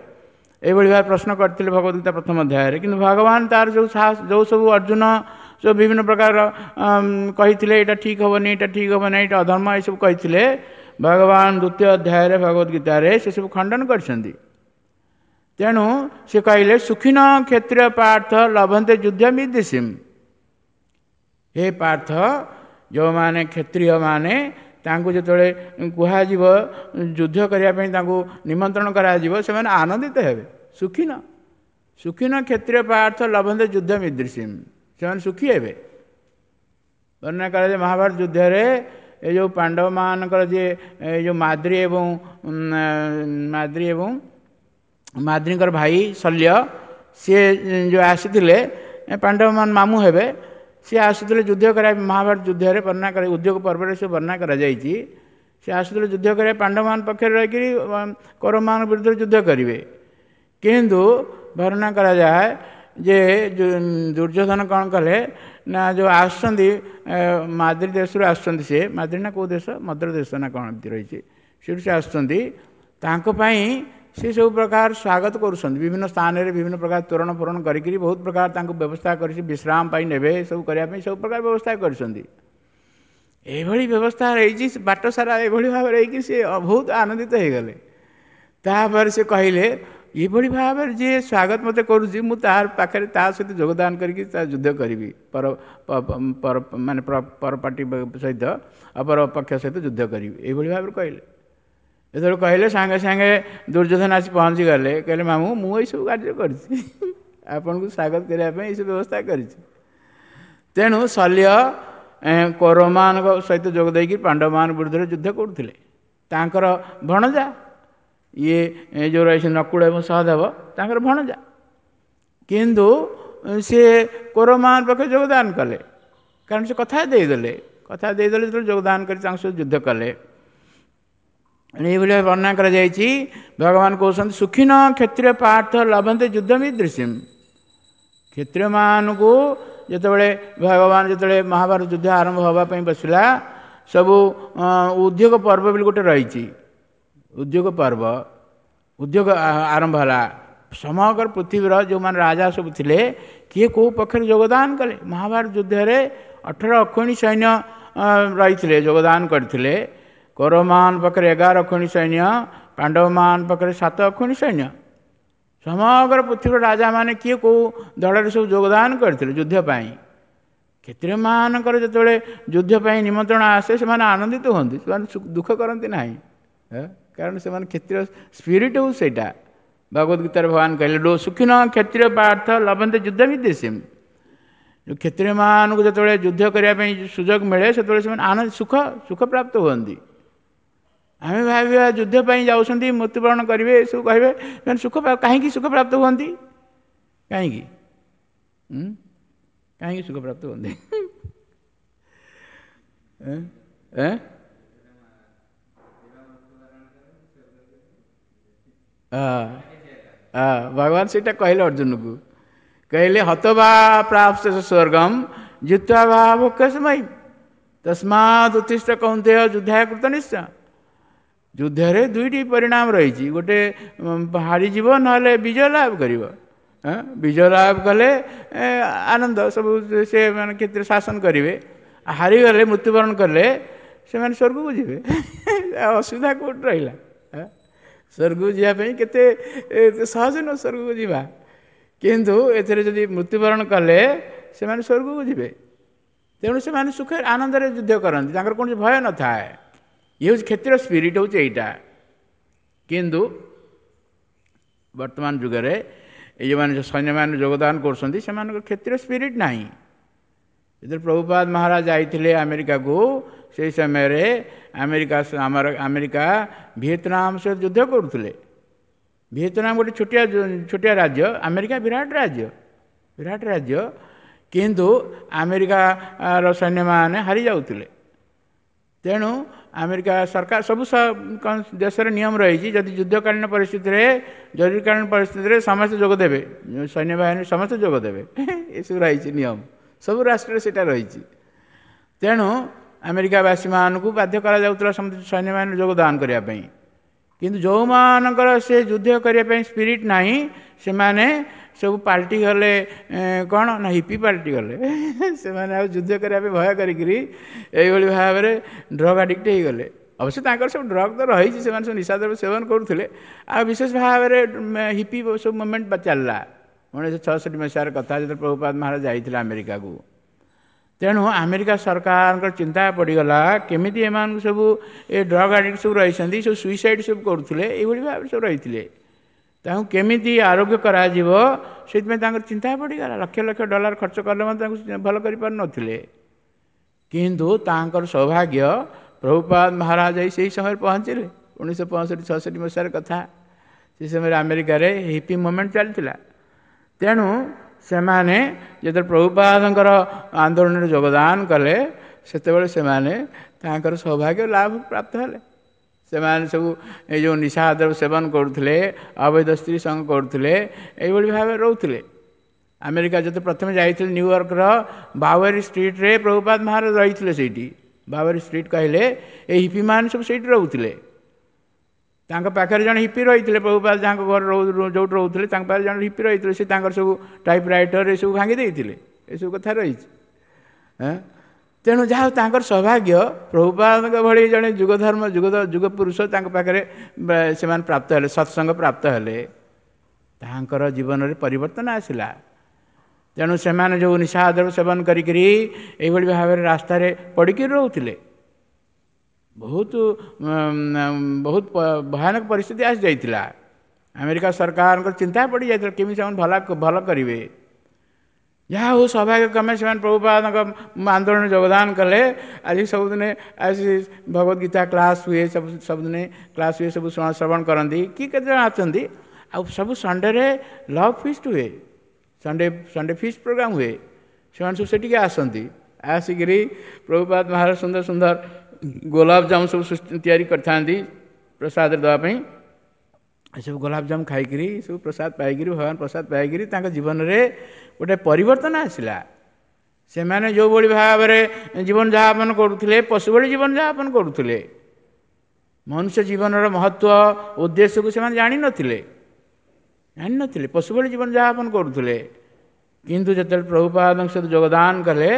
ଏଇଭଳି ଭାବେ ପ୍ରଶ୍ନ କରିଥିଲେ ଭଗବତ ଗୀତା ପ୍ରଥମ ଅଧ୍ୟାୟରେ। କିନ୍ତୁ ଭଗବାନ ତାର ଯେଉଁ ସାହସ, ଯେଉଁ ସବୁ ଅର୍ଜୁନ ସବୁ ବିଭିନ୍ନ ପ୍ରକାର କହିଥିଲେ, ଏଇଟା ଠିକ୍ ହେବନି, ଏଇଟା ଠିକ୍ ହେବନି, ଏଇଟା ଅଧର୍ମ, ଏସବୁ କହିଥିଲେ, ଭଗବାନ ଦ୍ୱିତୀୟ ଅଧ୍ୟାୟରେ ଭଗବତ ଗୀତାରେ ସେସବୁ ଖଣ୍ଡନ କରିଛନ୍ତି। ତେଣୁ ସେ କହିଲେ ସୁଖିନ କ୍ଷତ୍ରିୟ ପାର୍ଥ ଲଭନ୍ତେ ଯୁଦ୍ଧ ମିଦିସିମ୍। ହେ ପାର୍ଥ, ଯେଉଁମାନେ କ୍ଷତ୍ରିୟମାନେ ତାଙ୍କୁ ଯେତେବେଳେ କୁହାଯିବ ଯୁଦ୍ଧ କରିବା ପାଇଁ, ତାଙ୍କୁ ନିମନ୍ତ୍ରଣ କରାଯିବ, ସେମାନେ ଆନନ୍ଦିତ ହେବେ। ସୁଖିନ ସୁଖିନ କ୍ଷତ୍ରିୟ ପାର୍ଥ ଲଭନ୍ତେ ଯୁଦ୍ଧ ମିଦୃଶିମ୍, ସେମାନେ ସୁଖୀ ହେବେ। ବର୍ଣ୍ଣନା କରାଯାଏ ମହାଭାରତ ଯୁଦ୍ଧରେ ଏ ଯେଉଁ ପାଣ୍ଡବମାନଙ୍କର ଯିଏ ଏ ଯେଉଁ ମାଦ୍ରୀ ଏବଂ ମାଦ୍ରୀ ଏବଂ ମାଦ୍ରୀଙ୍କର ଭାଇ ଶଲ୍ୟ, ସିଏ ଯେଉଁ ଆସିଥିଲେ, ପାଣ୍ଡବମାନ ମାମୁଁ ହେବେ, ସିଏ ଆସୁଥିଲେ ଯୁଦ୍ଧ କରିବା। ମହାଭାରତ ଯୁଦ୍ଧରେ ବର୍ଣ୍ଣନା କରା ଉଦ୍ୟୋଗ ପର୍ବରେ ସେ ବର୍ଣ୍ଣନା କରାଯାଇଛି, ସେ ଆସୁଥିଲେ ଯୁଦ୍ଧ କରିବା, ପାଣ୍ଡବମାନ ପକ୍ଷରେ ରହିକରି କୌରବମାନଙ୍କ ବିରୁଦ୍ଧରେ ଯୁଦ୍ଧ କରିବେ। କିନ୍ତୁ ବର୍ଣ୍ଣନା କରାଯାଏ ଯେ ଦୁର୍ଯ୍ୟୋଧନ କ'ଣ କଲେ ନା, ଯେଉଁ ଆସୁଛନ୍ତି ମାଦ୍ରୀ ଦେଶରୁ ଆସୁଛନ୍ତି, ସେ ମାଦ୍ରୀ ନା କେଉଁ ଦେଶ, ମଦ୍ର ଦେଶ ନା କ'ଣ ଏମିତି ରହିଛି, ସେଠୁ ସେ ଆସୁଛନ୍ତି, ତାଙ୍କ ପାଇଁ ସେ ସବୁ ପ୍ରକାର ସ୍ୱାଗତ କରୁଛନ୍ତି। ବିଭିନ୍ନ ସ୍ଥାନରେ ବିଭିନ୍ନ ପ୍ରକାର ତୋରଣ ଫୋରଣ କରିକିରି ବହୁତ ପ୍ରକାର ତାଙ୍କୁ ବ୍ୟବସ୍ଥା କରିଛି, ବିଶ୍ରାମ ପାଇଁ ନେବେ, ସବୁ କରିବା ପାଇଁ ସବୁ ପ୍ରକାର ବ୍ୟବସ୍ଥା କରିଛନ୍ତି। ଏଇଭଳି ବ୍ୟବସ୍ଥା ହେଇଛି ବାଟ ସାରା ଏଭଳି ଭାବରେ ହେଇକି ସେ ବହୁତ ଆନନ୍ଦିତ ହେଇଗଲେ। ତାପରେ ସେ କହିଲେ, ଏଭଳି ଭାବରେ ଯିଏ ସ୍ୱାଗତ ମୋତେ କରୁଛି, ମୁଁ ତାର ପାଖରେ ତା ସହିତ ଯୋଗଦାନ କରିକି ତା ଯୁଦ୍ଧ କରିବି, ପର ପର ମାନେ ପରପାର୍ଟି ସହିତ, ଅପର ପକ୍ଷ ସହିତ ଯୁଦ୍ଧ କରିବି, ଏଇଭଳି ଭାବରେ କହିଲେ। ଯେତେବେଳେ କହିଲେ, ସାଙ୍ଗେ ସାଙ୍ଗେ ଦୁର୍ଯ୍ୟୋଧନ ଆସି ପହଞ୍ଚିଗଲେ। କହିଲେ, ମାମୁଁ, ମୁଁ ଏଇସବୁ କାର୍ଯ୍ୟ କରିଛି, ଆପଣଙ୍କୁ ସ୍ୱାଗତ କରିବା ପାଇଁ ଏଇସବୁ ବ୍ୟବସ୍ଥା କରିଛି। ତେଣୁ ଶଲ୍ୟ କୌରବମାନଙ୍କ ସହିତ ଯୋଗ ଦେଇକି ପାଣ୍ଡବମାନଙ୍କ ବିରୁଦ୍ଧରେ ଯୁଦ୍ଧ କରୁଥିଲେ। ତାଙ୍କର ଭଣଜା ଇଏ ଯେଉଁ ରହିছে ନକୁଳ ଏବଂ ସହଦେବ, ତାଙ୍କର ଭଣଜା, କିନ୍ତୁ ସିଏ କୌରବମାନଙ୍କ ପାଖରେ ଯୋଗଦାନ କଲେ, କାରଣ ସେ କଥା ଦେଇଦେଲେ। କଥା ଦେଇଦେଲେ ଯେତେବେଳେ ଯୋଗଦାନ କରି ତାଙ୍କ ସହିତ ଯୁଦ୍ଧ କଲେ। ଏଇଭଳି ବର୍ଣ୍ଣନା କରାଯାଇଛି। ଭଗବାନ କହୁଛନ୍ତି ସୁଖିନ କ୍ଷତ୍ରିୟ ପାର୍ଥ ଲଭନ୍ତେ ଯୁଦ୍ଧ ମିଦୃଶିମ୍। କ୍ଷତ୍ରିୟମାନଙ୍କୁ ଯେତେବେଳେ ଭଗବାନ ଯେତେବେଳେ ମହାଭାରତ ଯୁଦ୍ଧ ଆରମ୍ଭ ହେବା ପାଇଁ ବସିଲା, ସବୁ ଉଦ୍ୟୋଗ ପର୍ବ ବୋଲି ଗୋଟେ ରହିଛି, ଉଦ୍ୟୋଗ ପର୍ବ, ଉଦ୍ୟୋଗ ଆରମ୍ଭ ହେଲା। ସମଗ୍ର ପୃଥିବୀର ଯେଉଁମାନେ ରାଜା ସବୁ ଥିଲେ, କିଏ କେଉଁ ପକ୍ଷରେ ଯୋଗଦାନ କଲେ। ମହାଭାରତ ଯୁଦ୍ଧରେ 18 ଅକ୍ଷୌହିଣୀ ସୈନ୍ୟ ରହିଥିଲେ, ଯୋଗଦାନ କରିଥିଲେ। କୌରବମାନ ପାଖରେ 11 ଅକ୍ଷୌହିଣୀ ସୈନ୍ୟ, ପାଣ୍ଡବମାନ ପାଖରେ 7 ଅକ୍ଷୌହିଣୀ ସୈନ୍ୟ। ସମଗ୍ର ପୃଥିବୀର ରାଜାମାନେ କିଏ କେଉଁ ଦଳରେ ସବୁ ଯୋଗଦାନ କରିଥିଲେ ଯୁଦ୍ଧ ପାଇଁ। କ୍ଷତ୍ରିୟମାନଙ୍କର ଯେତେବେଳେ ଯୁଦ୍ଧ ପାଇଁ ନିମନ୍ତ୍ରଣ ଆସେ, ସେମାନେ ଆନନ୍ଦିତ ହୁଅନ୍ତି, ସେମାନେ ଦୁଃଖ କରନ୍ତି ନାହିଁ, କାରଣ ସେମାନେ କ୍ଷତ୍ରିୟ ସ୍ପିରିଟ୍ ହେଉଛି ସେଇଟା। ଭଗବତ ଗୀତାରେ ଭଗବାନ କହିଲେ, ଲୋ ସୁଖିନ କ୍ଷତ୍ରିୟ ପାର୍ଥ ଲଭନ୍ତେ ଯୁଦ୍ଧ ବିଦ୍ୱେଷିମ୍। କ୍ଷତ୍ରିୟମାନଙ୍କୁ ଯେତେବେଳେ ଯୁଦ୍ଧ କରିବା ପାଇଁ ସୁଯୋଗ ମିଳେ, ସେତେବେଳେ ସେମାନେ ଆନନ୍ଦ ସୁଖ ସୁଖ ପ୍ରାପ୍ତ ହୁଅନ୍ତି। ଆମେ ଭାବିବା ଯୁଦ୍ଧ ପାଇଁ ଯାଉଛନ୍ତି, ମୃତ୍ୟୁବରଣ କରିବେ, ଏସବୁ କହିବେ, ସେମାନେ ସୁଖ କାହିଁକି ସୁଖ ପ୍ରାପ୍ତ ହୁଅନ୍ତି? କାହିଁକି କାହିଁକି ସୁଖ ପ୍ରାପ୍ତ ହୁଅନ୍ତି? ଭଗବାନ ସେଇଟା କହିଲେ ଅର୍ଜୁନକୁ, କହିଲେ ହତବା ପ୍ରାପ୍ତ ସ୍ୱର୍ଗମ ଜିତ୍ୱା ବା ଭୋକ୍ଷମୟୀ ତସ୍ମାତ୍ ଉତ୍ତିଷ୍ଠ କୌନ୍ତେୟ ଯୁଦ୍ଧାୟ କୃତ ନିଶ୍ଚୟ। ଯୁଦ୍ଧରେ ଦୁଇଟି ପରିଣାମ ରହିଛି, ଗୋଟେ ହାରିଯିବ, ନହେଲେ ବିଜୟ ଲାଭ କରିବ। ବିଜୟ ଲାଭ କଲେ ଆନନ୍ଦ, ସବୁ ସେ ମାନେ କ୍ଷେତ୍ରରେ ଶାସନ କରିବେ। ହାରିଗଲେ, ମୃତ୍ୟୁବରଣ କଲେ ସେମାନେ ସ୍ୱର୍ଗକୁ ଯିବେ। ଅସୁବିଧା କେଉଁଠି ରହିଲା? ସ୍ୱର୍ଗକୁ ଯିବା ପାଇଁ କେତେ ସହଜ ନୁହଁ ସ୍ୱର୍ଗକୁ ଯିବା, କିନ୍ତୁ ଏଥିରେ ଯଦି ମୃତ୍ୟୁବରଣ କଲେ ସେମାନେ ସ୍ୱର୍ଗକୁ ଯିବେ। ତେଣୁ ସେମାନେ ସୁଖରେ ଆନନ୍ଦରେ ଯୁଦ୍ଧ କରନ୍ତି, ତାଙ୍କର କୌଣସି ଭୟ ନଥାଏ। ଇଏ ହେଉଛି କ୍ଷତ୍ରିୟ ସ୍ପିରିଟ୍, ହେଉଛି ଏଇଟା। କିନ୍ତୁ ବର୍ତ୍ତମାନ ଯୁଗରେ ଏଇ ଯେଉଁମାନେ ସୈନ୍ୟମାନେ ଯୋଗଦାନ କରୁଛନ୍ତି, ସେମାନଙ୍କର କ୍ଷତ୍ରିୟ ସ୍ପିରିଟ୍ ନାହିଁ। ଯେତେବେଳେ ପ୍ରଭୁପାଦ ମହାରାଜ ଯାଇଥିଲେ ଆମେରିକାକୁ, ସେଇ ସମୟରେ ଆମେରିକା ଆମର ଆମେରିକା ଭିଏତନାମ ସହିତ ଯୁଦ୍ଧ କରୁଥିଲେ। ଭିଏତନାମ ଗୋଟେ ଛୋଟିଆ ଛୋଟିଆ ରାଜ୍ୟ, ଆମେରିକା ବିରାଟ ରାଜ୍ୟ, ବିରାଟ ରାଜ୍ୟ। କିନ୍ତୁ ଆମେରିକାର ସୈନ୍ୟମାନେ ହାରି ଯାଉଥିଲେ। ତେଣୁ ଆମେରିକା ସରକାର, ସବୁ ଦେଶର ନିୟମ ରହିଛି, ଯଦି ଯୁଦ୍ଧକାଳୀନ ପରିସ୍ଥିତିରେ, ଜରୁରୀକାଳୀନ ପରିସ୍ଥିତିରେ ସମସ୍ତେ ଯୋଗ ଦେବେ, ସୈନ୍ୟବାହିନୀ ସମସ୍ତେ ଯୋଗ ଦେବେ, ଏସବୁ ରହିଛି ନିୟମ, ସବୁ ରାଷ୍ଟ୍ରରେ ସେଇଟା ରହିଛି। ତେଣୁ ଆମେରିକାବାସୀମାନଙ୍କୁ ବାଧ୍ୟ କରାଯାଉଥିଲା ସମସ୍ତେ ସୈନ୍ୟବାହିନୀ ଯୋଗଦାନ କରିବା ପାଇଁ। କିନ୍ତୁ ଯେଉଁମାନଙ୍କର ସେ ଯୁଦ୍ଧ କରିବା ପାଇଁ ସ୍ପିରିଟ୍ ନାହିଁ, ସେମାନେ ସବୁ ପାଲଟି ଗଲେ କ'ଣ ନା ହିପି ପାଲଟି ଗଲେ। ସେମାନେ ଆଉ ଯୁଦ୍ଧ କରିବା ପାଇଁ ଭୟ କରିକିରି ଏଇଭଳି ଭାବରେ ଡ୍ରଗ୍ ଆଡ଼ିକ୍ଟ ହେଇଗଲେ। ଅବଶ୍ୟ ତାଙ୍କର ସବୁ ଡ୍ରଗ୍ ତ ରହିଛି, ସେମାନେ ସବୁ ନିଶାଦ୍ରବ୍ୟ ସେବନ କରୁଥିଲେ। ଆଉ ବିଶେଷ ଭାବରେ ହିପି ସବୁ ମୁଭମେଣ୍ଟ ଚାଲିଲା 1966 ମସିହାର କଥା, ଯେତେବେଳେ ପ୍ରଭୁପାଦ ମହାରାଜ ଯାଇଥିଲେ ଆମେରିକାକୁ। ତେଣୁ ଆମେରିକା ସରକାରଙ୍କର ଚିନ୍ତା ପଡ଼ିଗଲା କେମିତି ଏମାନଙ୍କୁ ସବୁ ଏ ଡ୍ରଗ୍ ଆଡ଼ିକ୍ଟ ସବୁ ରହିଛନ୍ତି, ସବୁ ସୁଇସାଇଡ଼ ସବୁ କରୁଥିଲେ, ଏଇଭଳି ଭାବରେ ସବୁ ରହିଥିଲେ, ତାଙ୍କୁ କେମିତି ଆରୋଗ୍ୟ କରାଯିବ ସେଥିପାଇଁ ତାଙ୍କର ଚିନ୍ତା ପଡ଼ିଗଲା। ଲକ୍ଷ ଲକ୍ଷ ଡଲାର ଖର୍ଚ୍ଚ କଲେ ମଧ୍ୟ ତାଙ୍କୁ ଭଲ କରିପାରୁନଥିଲେ। କିନ୍ତୁ ତାଙ୍କର ସୌଭାଗ୍ୟ, ପ୍ରଭୁପାଦ ମହାରାଜ ସେଇ ସମୟରେ ପହଞ୍ଚିଲେ। 1965-66 ମସିହାର କଥା। ସେ ସମୟରେ ଆମେରିକାରେ ହିପି ମୁଭମେଣ୍ଟ ଚାଲିଥିଲା। ତେଣୁ ସେମାନେ ଯେତେବେଳେ ପ୍ରଭୁପାଦଙ୍କର ଆନ୍ଦୋଳନରେ ଯୋଗଦାନ କଲେ, ସେତେବେଳେ ସେମାନେ ତାଙ୍କର ସୌଭାଗ୍ୟ ଲାଭ ପ୍ରାପ୍ତ ହେଲେ। ସେମାନେ ସବୁ ଏଇ ଯେଉଁ ନିଶାଦ୍ରବ୍ୟ ସେବନ କରୁଥିଲେ, ଅବୈଧ ସ୍ତ୍ରୀ ସଙ୍ଗ କରୁଥିଲେ, ଏଇଭଳି ଭାବରେ ରହୁଥିଲେ। ଆମେରିକା ଯେତେ ପ୍ରଥମେ ଯାଇଥିଲେ, ନ୍ୟୁୟର୍କର ବାୱେରୀ ଷ୍ଟ୍ରିଟ୍ରେ ପ୍ରଭୁପାଦ ମହାରାଜ ରହିଥିଲେ। ସେଇଠି ବାୱେରୀ ଷ୍ଟ୍ରିଟ୍ କହିଲେ ଏଇ ହିପିମାନେ ସବୁ ସେଇଠି ରହୁଥିଲେ। ତାଙ୍କ ପାଖରେ ଜଣେ ହିପି ରହିଥିଲେ, ପ୍ରଭୁପାଦ ଯାହାଙ୍କ ଘରେ ଯେଉଁଠି ରହୁଥିଲେ ତାଙ୍କ ପାଖରେ ଜଣେ ହିପି ରହିଥିଲେ। ସେ ତାଙ୍କର ସବୁ ଟାଇପ୍ ରାଇଟର ଏସବୁ ଭାଙ୍ଗି ଦେଇଥିଲେ। ଏସବୁ କଥା ରହିଛି। ତେଣୁ ଯାହା ତାଙ୍କର ସୌଭାଗ୍ୟ, ପ୍ରଭୁପାଦଙ୍କ ଭଳି ଜଣେ ଯୁଗଧର୍ମ ଯୁଗ ପୁରୁଷ ତାଙ୍କ ପାଖରେ ସେମାନେ ପ୍ରାପ୍ତ ହେଲେ, ସତ୍ସଙ୍ଗ ପ୍ରାପ୍ତ ହେଲେ, ତାଙ୍କର ଜୀବନରେ ପରିବର୍ତ୍ତନ ଆସିଲା। ତେଣୁ ସେମାନେ ଯେଉଁ ନିଶାଦ୍ରବ୍ୟ ସେବନ କରିକିରି ଏଇଭଳି ଭାବରେ ରାସ୍ତାରେ ପଡ଼ିକି ରହୁଥିଲେ, ବହୁତ ବହୁତ ଭୟାନକ ପରିସ୍ଥିତି ଆସିଯାଇଥିଲା। ଆମେରିକା ସରକାରଙ୍କର ଚିନ୍ତା ପଡ଼ିଯାଇଥିଲା କେମିତି ସେମାନେ ଭଲ କରିବେ। ଯାହା ହଉ, ସୌଭାଗ୍ୟକ୍ରମେ ସେମାନେ ପ୍ରଭୁପାଦଙ୍କ ଆନ୍ଦୋଳନରେ ଯୋଗଦାନ କଲେ। ଆଜି ସବୁଦିନେ ଆସି ଭଗବତ ଗୀତା କ୍ଲାସ୍ ହୁଏ, ସବୁ ସବୁଦିନେ କ୍ଲାସ୍ ହୁଏ, ସବୁ ଶ୍ରବଣ କରନ୍ତି କି କେତେଜଣ ଆସନ୍ତି। ଆଉ ସବୁ ସଣ୍ଡେରେ ଲଭ୍ ଫିଷ୍ଟ ହୁଏ, ସଣ୍ଡେ ଫିଷ୍ଟ ପ୍ରୋଗ୍ରାମ୍ ହୁଏ। ସେମାନେ ସବୁ ସେଠିକି ଆସନ୍ତି। ଆସିକିରି ପ୍ରଭୁପାଦ ମହାରାଜ ସୁନ୍ଦର ସୁନ୍ଦର ଗୋଲାପଜାମୁନ ସବୁ ତିଆରି କରିଥାନ୍ତି ପ୍ରସାଦରେ ଦେବା ପାଇଁ। ଏସବୁ ଗୋଲାପଜାମୁନ ଖାଇକିରି, ସବୁ ପ୍ରସାଦ ପାଇକିରି, ଭଗବାନ ପ୍ରସାଦ ପାଇକିରି ତାଙ୍କ ଜୀବନରେ ଗୋଟେ ପରିବର୍ତ୍ତନ ଆସିଲା। ସେମାନେ ଯେଉଁଭଳି ଭାବରେ ଜୀବନଯାପନ କରୁଥିଲେ, ପଶୁ ଭଳି ଜୀବନଯାପନ କରୁଥିଲେ, ମନୁଷ୍ୟ ଜୀବନର ମହତ୍ତ୍ୱ ଉଦ୍ଦେଶ୍ୟକୁ ସେମାନେ ଜାଣିନଥିଲେ, ପଶୁ ଭଳି ଜୀବନଯାପନ କରୁଥିଲେ। କିନ୍ତୁ ଯେତେବେଳେ ପ୍ରଭୁପାଦଙ୍କ ସହିତ ଯୋଗଦାନ କଲେ,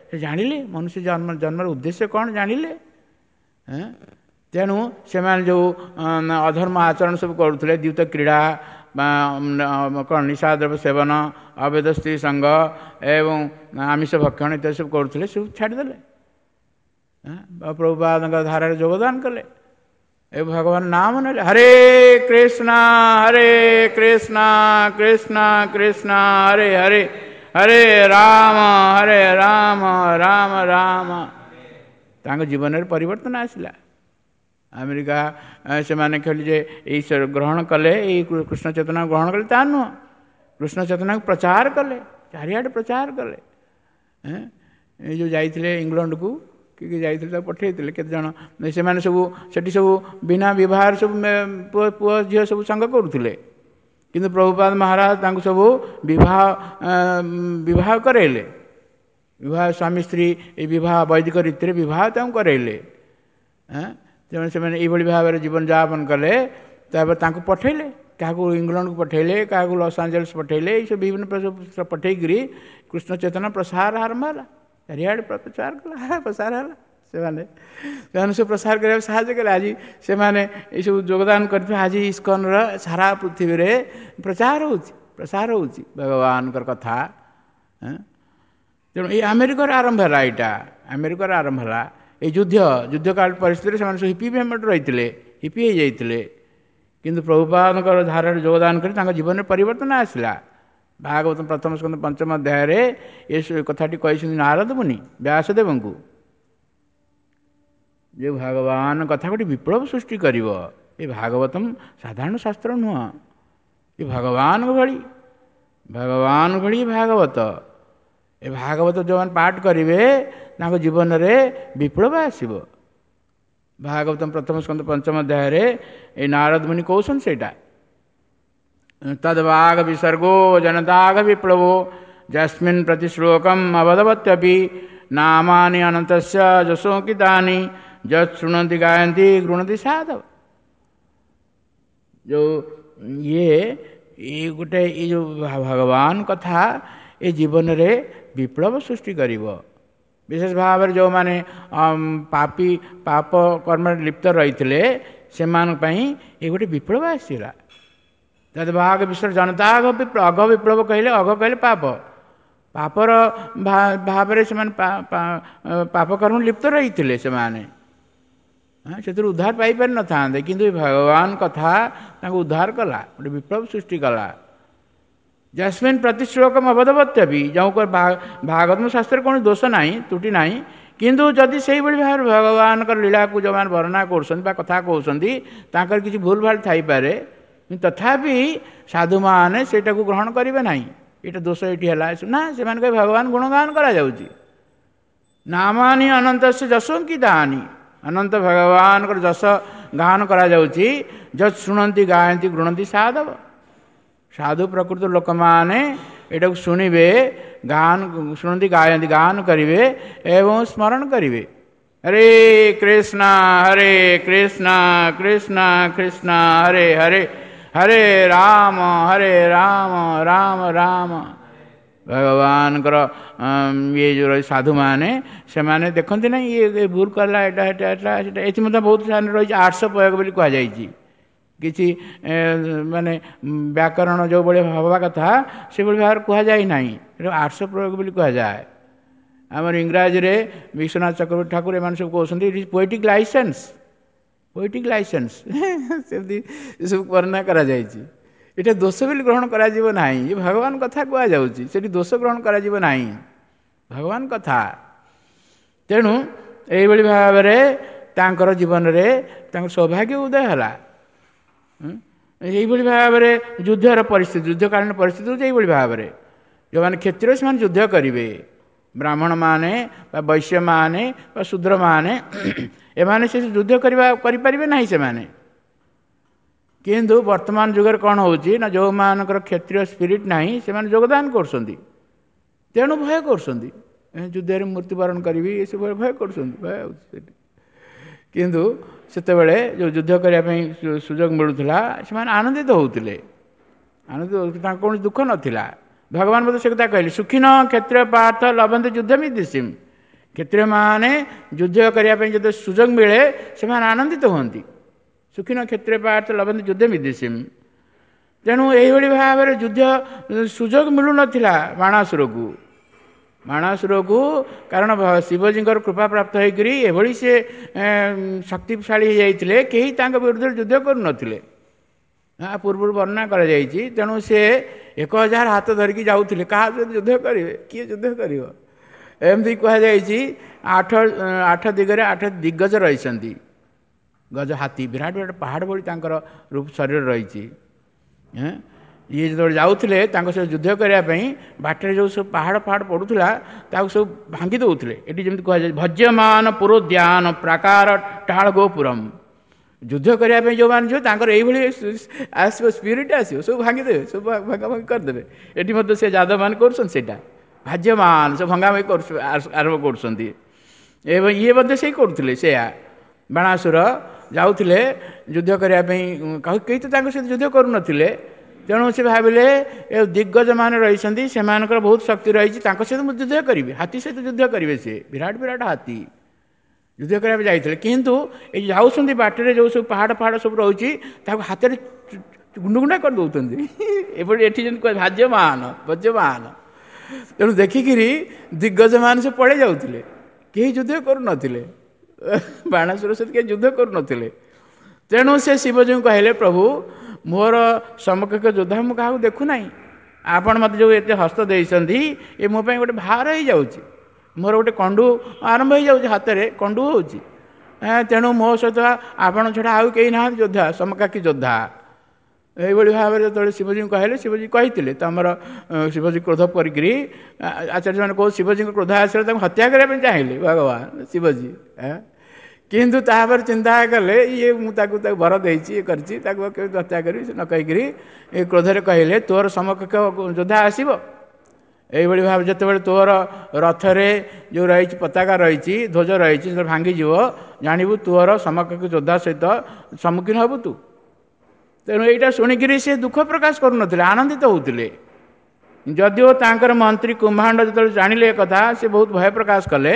ସେ ଜାଣିଲେ ମନୁଷ୍ୟ ଜନ୍ମର ଉଦ୍ଦେଶ୍ୟ କ'ଣ ଜାଣିଲେ। ତେଣୁ ସେମାନେ ଯେଉଁ ଅଧର୍ମ ଆଚରଣ ସବୁ କରୁଥିଲେ, ଦ୍ୟୁତ କ୍ରୀଡ଼ା, କ'ଣ ନିଶାଦ୍ରବ୍ୟ ସେବନ, ଅବୈଧ ସ୍ତ୍ରୀ ସଙ୍ଗ ଏବଂ ଆମିଷ ଭକ୍ଷଣ ଇତ୍ୟାଦି ସବୁ କରୁଥିଲେ, ସବୁ ଛାଡ଼ିଦେଲେ, ପ୍ରଭୁପାଦଙ୍କ ଧାରାରେ ଯୋଗଦାନ କଲେ ଏ ଭଗବାନ ନାମ ନେଲେ, ହରେ କୃଷ୍ଣ ହରେ କୃଷ୍ଣ କୃଷ୍ଣ କୃଷ୍ଣ ହରେ ହରେ, ହରେ ରାମ ହରେ ରାମ ରାମ ରାମ। ତାଙ୍କ ଜୀବନରେ ପରିବର୍ତ୍ତନ ଆସିଲା। ଆମେରିକା ସେମାନେ ଖାଲି ଯେ ଏଇ ଗ୍ରହଣ କଲେ, ଏଇ କୃଷ୍ଣ ଚେତନା ଗ୍ରହଣ କଲେ ତା ନୁହଁ, କୃଷ୍ଣ ଚେତନାକୁ ପ୍ରଚାର କଲେ, ଚାରିଆଡ଼େ ପ୍ରଚାର କଲେ। ଏଇ ଯେଉଁ ଯାଇଥିଲେ ଇଂଲଣ୍ଡକୁ, କିଏ କିଏ ଯାଇଥିଲେ, ତାକୁ ପଠେଇଥିଲେ କେତେଜଣ, ସେମାନେ ସବୁ ସେଠି ସବୁ ବିନା ବିବାହରେ ସବୁ ପୁଅ ଝିଅ ସବୁ ସଙ୍ଗ କରୁଥିଲେ। କିନ୍ତୁ ପ୍ରଭୁପାଦ ମହାରାଜ ତାଙ୍କୁ ସବୁ ବିବାହ କରାଇଲେ। ବିବାହ ସ୍ୱାମୀ ସ୍ତ୍ରୀ ଏଇ ବିବାହ ବୈଦିକ ରୀତିରେ ବିବାହ ତାଙ୍କୁ କରାଇଲେ। ତେଣୁ ସେମାନେ ଏଇଭଳି ଭାବରେ ଜୀବନଯାପନ କଲେ। ତାପରେ ତାଙ୍କୁ ପଠେଇଲେ, କାହାକୁ ଇଂଲଣ୍ଡକୁ ପଠେଇଲେ, କାହାକୁ ଲସ୍ ଆଞ୍ଜେଲସ୍ ପଠେଇଲେ, ଏଇସବୁ ବିଭିନ୍ନ ପ୍ରକାର ପଠେଇକିରି କୃଷ୍ଣ ଚେତନା ପ୍ରସାର ଆରମ୍ଭ ହେଲା, ଚାରିଆଡ଼େ ପ୍ରଚାର କଲା, ପ୍ରସାର ହେଲା। ସେମାନେ ସବୁ ପ୍ରସାର କରିବାକୁ ସାହାଯ୍ୟ କଲେ। ଆଜି ସେମାନେ ଏସବୁ ଯୋଗଦାନ କରିଥିବା ଆଜି ଇସ୍କନର ସାରା ପୃଥିବୀରେ ପ୍ରଚାର ହେଉଛି, ପ୍ରସାର ହେଉଛି ଭଗବାନଙ୍କର କଥା। ତେଣୁ ଏଇ ଆମେରିକାର ଆରମ୍ଭ ହେଲା, ଏଇଟା ଆମେରିକାର ଆରମ୍ଭ ହେଲା ଏଇ ଯୁଦ୍ଧକାଳ ପରିସ୍ଥିତିରେ। ସେମାନେ ସବୁ ହିପି ମୁଭମେଣ୍ଟ ରହିଥିଲେ, ହିପି ହେଇଯାଇଥିଲେ। କିନ୍ତୁ ପ୍ରଭୁପାଦଙ୍କର ଧାରାରେ ଯୋଗଦାନ କରି ତାଙ୍କ ଜୀବନରେ ପରିବର୍ତ୍ତନ ଆସିଲା। ଭାଗବତ ପ୍ରଥମ ସ୍କନ୍ଧ ପଞ୍ଚମ ଅଧ୍ୟାୟରେ ଏ କଥାଟି କହିଛନ୍ତି ନାରଦ ମୁନି ବ୍ୟାସଦେବଙ୍କୁ ଯେ ଭଗବାନ କଥା ଗୋଟେ ବିପ୍ଳବ ସୃଷ୍ଟି କରିବ। ଏ ଭାଗବତମ ସାଧାରଣ ଶାସ୍ତ୍ର ନୁହଁ, ଏ ଭଗବାନଙ୍କ ଭଳି, ଭଗବାନ ଭଳି ଭାଗବତ। ଏ ଭାଗବତ ଯେଉଁମାନେ ପାଠ କରିବେ ତାଙ୍କ ଜୀବନରେ ବିପ୍ଳବ ଆସିବ। ଭାଗବତମ ପ୍ରଥମ ସ୍କନ୍ଧ ପଞ୍ଚମ ଅଧ୍ୟାୟରେ ଏ ନାରଦ ମୁନି କହୁଛନ୍ତି ସେଇଟା, ତଦ୍ବାଘ ବିସର୍ଗୋ ଜନତାଘ ବିପ୍ଳବୋ ଯସ୍ମିନ୍ ପ୍ରତିଶ୍ଲୋକମ୍ ଅବଦବତ୍ୟପି ନାମାନି ଅନନ୍ତସ୍ୟ ଯଶୋଙ୍କିତାନି ଯତ୍ ଶୃଣନ୍ତି ଗାୟନ୍ତି ଗୃଣନ୍ତି ସାଧବ। ଯେଉଁ ଇଏ ଏଇ ଗୋଟେ ଏଇ ଯେଉଁ ଭଗବାନ କଥା ଏ ଜୀବନରେ ବିପ୍ଳବ ସୃଷ୍ଟି କରିବ, ବିଶେଷ ଭାବରେ ଯେଉଁମାନେ ପାପୀ ପାପ କର୍ମରେ ଲିପ୍ତ ରହିଥିଲେ ସେମାନଙ୍କ ପାଇଁ ଏ ଗୋଟେ ବିପ୍ଳବ ଆସିଲା। ତଦ୍ଭାଗ ବିଶ୍ୱର ଜନତା ଅଘ ବିପ୍ଳବ କହିଲେ, ଅଘ କହିଲେ ପାପ, ପାପର ଭାବରେ ସେମାନେ ପାପ କର୍ମ ଲିପ୍ତ ରହିଥିଲେ, ସେମାନେ ସେଥିରୁ ଉଦ୍ଧାର ପାଇପାରିନଥାନ୍ତେ, କିନ୍ତୁ ଭଗବାନ କଥା ତାଙ୍କୁ ଉଦ୍ଧାର କଲା, ଗୋଟେ ବିପ୍ଳବ ସୃଷ୍ଟି କଲା। ଯସ୍ମିନ୍ ପ୍ରତିଶ୍ଲୋକମ ଅବଧବତ୍ୟପି, ଯେଉଁ ଭାଗବତ ଶାସ୍ତ୍ରରେ କୌଣସି ଦୋଷ ନାହିଁ, ତ୍ରୁଟି ନାହିଁ, କିନ୍ତୁ ଯଦି ସେଇଭଳି ଭାବରେ ଭଗବାନଙ୍କର ଲୀଳାକୁ ଯେଉଁମାନେ ବର୍ଣ୍ଣନା କରୁଛନ୍ତି ବା କଥା କହୁଛନ୍ତି ତାଙ୍କର କିଛି ଭୁଲ ଭାଲ ଥାଇପାରେ, କିନ୍ତୁ ତଥାପି ସାଧୁମାନେ ସେଇଟାକୁ ଗ୍ରହଣ କରିବେ ନାହିଁ। ଏଇଟା ଦୋଷ ଏଇଠି ହେଲା ନା, ସେମାନେ କହିବେ ଭଗବାନ ଗୁଣଗାନ କରାଯାଉଛି। ନାମାନୀ ଅନନ୍ତସ୍ୟ ଯଶୋଙ୍କିତାନି, ଅନନ୍ତ ଭଗବାନଙ୍କର ଯଶ ଗାନ କରାଯାଉଛି। ଯତ୍ ଶୁଣନ୍ତି ଗାୟନ୍ତି ଗୃଣନ୍ତି ସାଧବ, ସାଧୁ ପ୍ରକୃତ ଲୋକମାନେ ଏଟାକୁ ଶୁଣିବେ, ଗାନ ଶୁଣନ୍ତି ଗାୟନ୍ତି ଗାନ କରିବେ ଏବଂ ସ୍ମରଣ କରିବେ। ହରେ କୃଷ୍ଣ ହରେ କୃଷ୍ଣ କୃଷ୍ଣ କୃଷ୍ଣ ହରେ ହରେ, ହରେ ରାମ ହରେ ରାମ ରାମ ରାମ। ଭଗବାନଙ୍କର ଇଏ ଯେଉଁ ରହି ସାଧୁମାନେ ସେମାନେ ଦେଖନ୍ତି ନାହିଁ ଇଏ ଭୁଲ କଲା, ଏଇଟା ଏଟା ଏଟା ସେଟା। ଏଥି ମଧ୍ୟ ବହୁତ ସ୍ଥାନରେ ରହିଛି 800 ପ୍ରୟୋଗ ବୋଲି କୁହାଯାଇଛି। କିଛି ମାନେ ବ୍ୟାକରଣ ଯେଉଁଭଳି ହେବା କଥା ସେଭଳି ଭାବରେ କୁହାଯାଇ ନାହିଁ, ଏଟା 800 ପ୍ରୟୋଗ ବୋଲି କୁହାଯାଏ। ଆମର ଇଂରାଜୀରେ ବିଶ୍ୱନାଥ ଚକ୍ରବର୍ତ୍ତୀ ଠାକୁର ଏମାନେ ସବୁ କହୁଛନ୍ତି it is poetic licence, poetic licence, ସେମିତି ଏସବୁ ବର୍ଣ୍ଣନା କରାଯାଇଛି। ଏଇଟା ଦୋଷ ବୋଲି ଗ୍ରହଣ କରାଯିବ ନାହିଁ, ଏ ଭଗବାନ କଥା କୁହାଯାଉଛି, ସେଠି ଦୋଷ ଗ୍ରହଣ କରାଯିବ ନାହିଁ, ଭଗବାନ କଥା। ତେଣୁ ଏଇଭଳି ଭାବରେ ତାଙ୍କର ଜୀବନରେ ତାଙ୍କ ସୌଭାଗ୍ୟ ଉଦୟ ହେଲା। ଏଇଭଳି ଭାବରେ ଯୁଦ୍ଧର ପରିସ୍ଥିତି, ଯୁଦ୍ଧକାଳୀନ ପରିସ୍ଥିତି ହେଉଛି ଏଇଭଳି ଭାବରେ, ଯେଉଁମାନେ କ୍ଷତ୍ରିୟ ସେମାନେ ଯୁଦ୍ଧ କରିବେ, ବ୍ରାହ୍ମଣମାନେ ବା ବୈଶ୍ୟମାନେ ବା ଶୂଦ୍ରମାନେ ଏମାନେ ସେ ଯୁଦ୍ଧ କରିପାରିବେ ନାହିଁ ସେମାନେ। କିନ୍ତୁ ବର୍ତ୍ତମାନ ଯୁଗରେ କ'ଣ ହେଉଛି ନା, ଯେଉଁମାନଙ୍କର କ୍ଷତ୍ରିୟ ସ୍ପିରିଟ୍ ନାହିଁ ସେମାନେ ଯୋଗଦାନ କରୁଛନ୍ତି, ତେଣୁ ଭୟ କରୁଛନ୍ତି, ଯୁଦ୍ଧରେ ମୃତ୍ୟୁବରଣ କରିବି ଏସବୁ ଭୟ କରୁଛନ୍ତି, ଭୟ ହେଉଛି ସେଠି। କିନ୍ତୁ ସେତେବେଳେ ଯେଉଁ ଯୁଦ୍ଧ କରିବା ପାଇଁ ସୁଯୋଗ ମିଳୁଥିଲା ସେମାନେ ଆନନ୍ଦିତ ହେଉଥିଲେ, ଆନନ୍ଦିତ ହେଉଥିଲେ, ତାଙ୍କ କୌଣସି ଦୁଃଖ ନଥିଲା। ଭଗବାନ ମଧ୍ୟ ସେ କଥା କହିଲେ, ସୁଖିନ କ୍ଷତ୍ରିୟ ପାର୍ଥ ଲଭନ୍ତି ଯୁଦ୍ଧମିଦିସିମ୍, କ୍ଷତ୍ରିୟମାନେ ଯୁଦ୍ଧ କରିବା ପାଇଁ ଯେତେ ସୁଯୋଗ ମିଳେ ସେମାନେ ଆନନ୍ଦିତ ହୁଅନ୍ତି। ସୁଖିନ କ୍ଷତ୍ରିୟ ପାର୍ଥ ଲଭନ୍ତି ଯୁଦ୍ଧମିଦିସିମ୍। ତେଣୁ ଏଇଭଳି ଭାବରେ ଯୁଦ୍ଧ ସୁଯୋଗ ମିଳୁନଥିଲା ବାଣାସୁରକୁ, ବାଣାସୁରକୁ, କାରଣ ଶିବଜୀଙ୍କର କୃପା ପ୍ରାପ୍ତ ହୋଇକରି ଏଭଳି ସେ ଶକ୍ତିଶାଳୀ ହେଇଯାଇଥିଲେ, କେହି ତାଙ୍କ ବିରୁଦ୍ଧରେ ଯୁଦ୍ଧ କରୁନଥିଲେ। ପୂର୍ବରୁ ବର୍ଣ୍ଣନା କରାଯାଇଛି। ତେଣୁ ସେ 1000 ହାତ ଧରିକି ଯାଉଥିଲେ, କାହା ସହିତ ଯୁଦ୍ଧ କରିବେ, କିଏ ଯୁଦ୍ଧ କରିବ? ଏମିତି କୁହାଯାଇଛି 8 ଦିଗରେ 8 ଦିଗ୍ଗଜ ରହିଛନ୍ତି, ଗଜ ହାତୀ ବିରାଟ ବିରାଟ ପାହାଡ଼ ଭଳି ତାଙ୍କର ରୂପ ଶରୀର ରହିଛି। ଇଏ ଯେତେବେଳେ ଯାଉଥିଲେ ତାଙ୍କ ସହିତ ଯୁଦ୍ଧ କରିବା ପାଇଁ, ବାଟରେ ଯେଉଁ ସବୁ ପାହାଡ଼ ଫାହାଡ଼ ପଡ଼ୁଥିଲା ତାକୁ ସବୁ ଭାଙ୍ଗି ଦେଉଥିଲେ। ଏଠି ଯେମିତି କୁହାଯାଏ ଭଜ୍ୟମାନ ପୁରୋଦ୍ୟାନ ପ୍ରାକାର ଟାଳ ଗୋପୁରମ୍, ଯୁଦ୍ଧ କରିବା ପାଇଁ ଯେଉଁମାନେ ଯିବେ ତାଙ୍କର ଏଇଭଳି ଆସିବ ସ୍ପିରିଟ୍ ଆସିବ, ସବୁ ଭାଙ୍ଗିଦେବେ, ସବୁ ଭଙ୍ଗା ଭଙ୍ଗି କରିଦେବେ। ଏଠି ମଧ୍ୟ ସେ ଯାଦବମାନେ କରୁଛନ୍ତି ସେଇଟା, ଭାଜ୍ୟମାନ ସବୁ ଭଙ୍ଗା ଭଙ୍ଗି କରୁ ଆରମ୍ଭ କରୁଛନ୍ତି। ଏବଂ ଇଏ ମଧ୍ୟ ସେଇ କରୁଥିଲେ ସେୟା। ବାଣାସୁର ଯାଉଥିଲେ ଯୁଦ୍ଧ କରିବା ପାଇଁ, କେହି ତ ତାଙ୍କ ସହିତ ଯୁଦ୍ଧ କରୁନଥିଲେ। ତେଣୁ ସେ ଭାବିଲେ ଏ ଦିଗ୍ଗଜମାନେ ରହିଛନ୍ତି, ସେମାନଙ୍କର ବହୁତ ଶକ୍ତି ରହିଛି, ତାଙ୍କ ସହିତ ମୁଁ ଯୁଦ୍ଧ କରିବି, ହାତୀ ସହିତ ଯୁଦ୍ଧ କରିବେ। ସେ ବିରାଟ ବିରାଟ ହାତୀ ଯୁଦ୍ଧ କରିବା ପାଇଁ ଯାଇଥିଲେ, କିନ୍ତୁ ଏଇ ଯାଉଛନ୍ତି ବାଟରେ ଯେଉଁ ସବୁ ପାହାଡ଼ ଫାହାଡ଼ ସବୁ ରହୁଛି ତାକୁ ହାତରେ ଗୁଣ୍ଡ ଗୁଣ୍ଡା କରିଦେଉଛନ୍ତି। ଏପରି ଏଠି ଯେମିତି କୁହା ଭାଜ୍ୟମାନ ଭଜ୍ୟମାନ। ତେଣୁ ଦେଖିକିରି ଦିଗ୍ଗଜମାନେ ସବୁ ପଳେଇ ଯାଉଥିଲେ, କେହି ଯୁଦ୍ଧ କରୁନଥିଲେ, ବାଣାସୁର ସହିତ କେହି ଯୁଦ୍ଧ କରୁନଥିଲେ। ତେଣୁ ସେ ଶିବଜୀଙ୍କୁ କହିଲେ, ପ୍ରଭୁ ମୋର ସମକକ୍ଷ ଯୋଦ୍ଧା ମୁଁ କାହାକୁ ଦେଖୁନାହିଁ, ଆପଣ ମୋତେ ଯେଉଁ ଏତେ ହସ୍ତ ଦେଇଛନ୍ତି ଏ ମୋ ପାଇଁ ଗୋଟେ ଭାର ହେଇଯାଉଛି, ମୋର ଗୋଟେ କଣ୍ଡୁ ଆରମ୍ଭ ହେଇଯାଉଛି, ହାତରେ କଣ୍ଡୁ ହେଉଛି, ତେଣୁ ମୋ ସହିତ ଆପଣ ଛଡ଼ା ଆଉ କେହି ନାହାନ୍ତି ଯୋଦ୍ଧା, ସମକାକ୍ଷୀ ଯୋଦ୍ଧା। ଏଇଭଳି ଭାବରେ ଯେତେବେଳେ ଶିବଜୀଙ୍କୁ କହିଲେ, ଶିବଜୀ କହିଥିଲେ ତମର ଶିବଜୀ କ୍ରୋଧ କରିକିରି, ଆଚାର୍ଯ୍ୟମାନେ କହୁ ଶିବଜୀଙ୍କ କ୍ରୋଧ ଆସିଲେ ତାଙ୍କୁ ହତ୍ୟା କରିବା ପାଇଁ ଚାହିଁଲେ ଭଗବାନ ଶିବଜୀ, କିନ୍ତୁ ତାପରେ ଚିନ୍ତା କଲେ ଇଏ ମୁଁ ତାକୁ ତାକୁ ବର ଦେଇଛି, ଇଏ କରିଛି, ତାକୁ କେମିତି ହତ୍ୟା କରିବି, ସେ ନ କହିକିରି ଏ କ୍ରୋଧରେ କହିଲେ ତୋର ସମକକ୍ଷ ଯୋଦ୍ଧା ଆସିବ। ଏଇଭଳି ଭାବେ ଯେତେବେଳେ ତୋର ରଥରେ ଯେଉଁ ରହିଛି ପତାକା ରହିଛି, ଧ୍ୱଜ ରହିଛି, ଯେତେବେଳେ ଭାଙ୍ଗିଯିବ ଜାଣିବୁ ତୋର ସମକକ୍ଷ ଯୋଦ୍ଧା ସହିତ ସମ୍ମୁଖୀନ ହେବୁ ତୁ। ତେଣୁ ଏଇଟା ଶୁଣିକିରି ସେ ଦୁଃଖ ପ୍ରକାଶ କରୁନଥିଲେ, ଆନନ୍ଦିତ ହେଉଥିଲେ। ଯଦିଓ ତାଙ୍କର ମନ୍ତ୍ରୀ କୁମ୍ଭାଣ୍ଡ ଯେତେବେଳେ ଜାଣିଲେ ଏ କଥା, ସେ ବହୁତ ଭୟ ପ୍ରକାଶ କଲେ,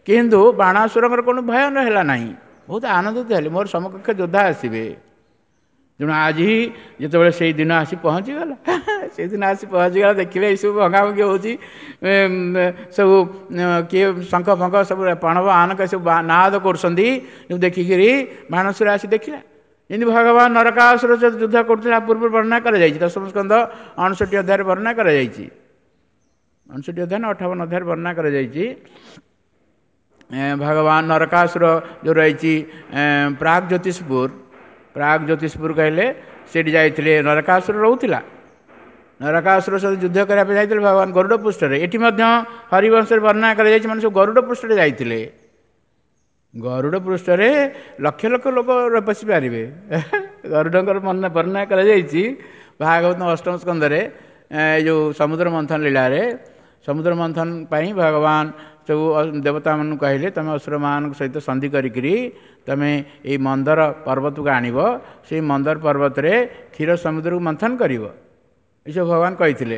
କିନ୍ତୁ ବାଣାସୁରଙ୍କର କୌଣସି ଭୟ ହେଲା ନାହିଁ, ବହୁତ ଆନନ୍ଦିତ ହେଲେ, ମୋର ସମକକ୍ଷ ଯୋଦ୍ଧା ଆସିବେ। ତେଣୁ ଆଜି ଯେତେବେଳେ ସେଇ ଦିନ ଆସି ପହଞ୍ଚିଗଲା, ସେଇଦିନ ଆସି ପହଞ୍ଚିଗଲା, ଦେଖିଲେ ଏଇସବୁ ଭଙ୍ଗାଭଙ୍ଗି ହେଉଛି, ସବୁ କିଏ ଶଙ୍ଖ ଫଙ୍ଖ ସବୁ ପଣବ ଆନକ ସବୁ ନାଦ କରୁଛନ୍ତି, ଦେଖିକିରି ବାଣାସୁର ଆସି ଦେଖିଲା। ଯେମିତି ଭଗବାନ ନରକାସୁର ଯୁଦ୍ଧ କରୁଥିଲା ପୂର୍ବରୁ ବର୍ଣ୍ଣନା କରାଯାଇଛି, ଦଶମ ସ୍କନ୍ଧ 59 ଅଧ୍ୟାୟରେ ବର୍ଣ୍ଣନା କରାଯାଇଛି, 59 ଅଧ୍ୟାୟ ନା 58 ଅଧ୍ୟାୟରେ ବର୍ଣ୍ଣନା କରାଯାଇଛି। ଭଗବାନ ନରକାସୁର ଯେଉଁ ରହିଛି ପ୍ରାଗ ଜ୍ୟୋତିଷପୁର, ପ୍ରାଗ ଜ୍ୟୋତିଷପୁର କହିଲେ ସେଇଠି ଯାଇଥିଲେ, ନରକାସୁର ରହୁଥିଲା। ନରକାସୁର ସହିତ ଯୁଦ୍ଧ କରିବା ପାଇଁ ଯାଇଥିଲେ ଭଗବାନ ଗରୁଡ଼ ପୃଷ୍ଠରେ। ଏଠି ମଧ୍ୟ ହରିବଂଶରେ ବର୍ଣ୍ଣନା କରାଯାଇଛି, ମାନେ ସବୁ ଗରୁଡ଼ ପୃଷ୍ଠରେ ଯାଇଥିଲେ। ଗରୁଡ଼ ପୃଷ୍ଠରେ ଲକ୍ଷ ଲକ୍ଷ ଲୋକ ବସିପାରିବେ। ଗରୁଡ଼ଙ୍କର ବର୍ଣ୍ଣନା କରାଯାଇଛି ଭାଗବତ ଅଷ୍ଟମ ସ୍କନ୍ଧରେ, ଏ ଯେଉଁ ସମୁଦ୍ର ମନ୍ଥନ ଲୀଳାରେ। ସମୁଦ୍ର ମନ୍ଥନ ପାଇଁ ଭଗବାନ ସବୁ ଦେବତାମାନଙ୍କୁ କହିଲେ, ତୁମେ ଅସୁରମାନଙ୍କ ସହିତ ସନ୍ଧି କରିକିରି ତୁମେ ଏଇ ମନ୍ଦର ପର୍ବତକୁ ଆଣିବ, ସେଇ ମନ୍ଦର ପର୍ବତରେ କ୍ଷୀର ସମୁଦ୍ରକୁ ମନ୍ଥନ କରିବ, ଏସବୁ ଭଗବାନ କହିଥିଲେ।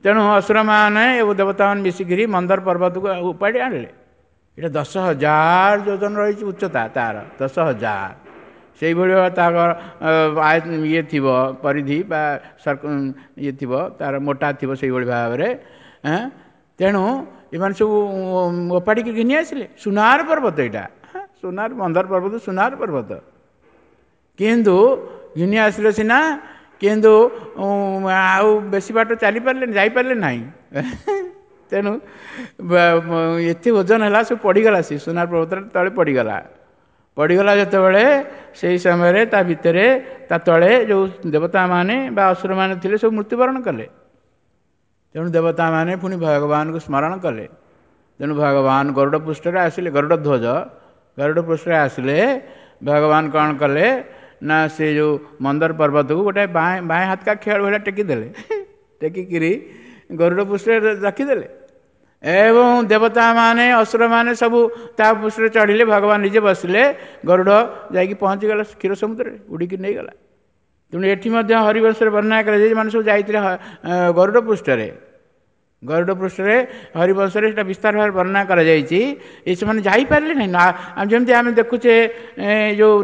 ତେଣୁ ଅସୁରମାନେ ଏବଂ ଦେବତାମାନେ ମିଶିକିରି ମନ୍ଦର ପର୍ବତକୁ ଉପାଡ଼ି ଆଣିଲେ। ଏଇଟା 10,000 ଯୋଜନ ରହିଛି ଉଚ୍ଚତା ତାର, 10,000। ସେଇଭଳି ତାର ଇଏ ଥିବ ପରିଧି ବା ଇଏ ଥିବ, ତାର ମୋଟା ଥିବ ସେଇଭଳି ଭାବରେ। ତେଣୁ ଏମାନେ ସବୁ ଓପାଡ଼ିକି ଘିନି ଆସିଲେ। ସୁନାର ପର୍ବତ ଏଇଟା, ସୁନାର ମନ୍ଦର ପର୍ବତ, ସୁନାର ପର୍ବତ। କିନ୍ତୁ ଘିନି ଆସିଲେ ସିନା, କିନ୍ତୁ ଆଉ ବେଶୀ ବାଟ ଚାଲିପାରିଲେନି, ଯାଇପାରିଲେ ନାହିଁ। ତେଣୁ ଏତେ ଓଜନ ହେଲା, ସବୁ ପଡ଼ିଗଲା, ସେ ସୁନାର ପର୍ବତରେ ତଳେ ପଡ଼ିଗଲା। ପଡ଼ିଗଲା ଯେତେବେଳେ, ସେଇ ସମୟରେ ତା ଭିତରେ ତା ତଳେ ଯେଉଁ ଦେବତାମାନେ ବା ଅସୁରମାନେ ଥିଲେ ସବୁ ମୃତ୍ୟୁବରଣ କଲେ। ତେଣୁ ଦେବତାମାନେ ପୁଣି ଭଗବାନଙ୍କୁ ସ୍ମରଣ କଲେ। ତେଣୁ ଭଗବାନ ଗରୁଡ଼ ପୃଷ୍ଠରେ ଆସିଲେ, ଗରୁଡ଼ ଧ୍ୱଜ ଗରୁଡ଼ ପୃଷ୍ଠରେ ଆସିଲେ। ଭଗବାନ କ'ଣ କଲେ ନା, ସେ ଯେଉଁ ମନ୍ଦର ପର୍ବତକୁ ଗୋଟେ ବାଏଁ ବାଏଁ ହାତକା ଖେଳ ଭଳିଆ ଟେକିଦେଲେ, ଟେକିକିରି ଗରୁଡ଼ ପୃଷ୍ଠରେ ରଖିଦେଲେ ଏବଂ ଦେବତାମାନେ ଅସୁରମାନେ ସବୁ ତା ପୃଷ୍ଠରେ ଚଢ଼ିଲେ। ଭଗବାନ ନିଜେ ବସିଲେ, ଗରୁଡ଼ ଯାଇକି ପହଞ୍ଚିଗଲା କ୍ଷୀର ସମୁଦ୍ରରେ, ଉଡ଼ିକି ନେଇଗଲା। ତେଣୁ ଏଠି ମଧ୍ୟ ହରିବଂଶରେ ବର୍ଣ୍ଣନା କରାଯାଇଛି, ମାନେ ସବୁ ଯାଇଥିଲେ ଗରୁଡ଼ ପୃଷ୍ଠରେ। ଗରୁଡ଼ ପୃଷ୍ଠରେ ହରିବଂଶରେ ସେଇଟା ବିସ୍ତାର ଭାବରେ ବର୍ଣ୍ଣନା କରାଯାଇଛି। ଏ ସେମାନେ ଯାଇପାରିଲେ ନାହିଁ ନା, ଯେମିତି ଆମେ ଦେଖୁଛେ ଯେଉଁ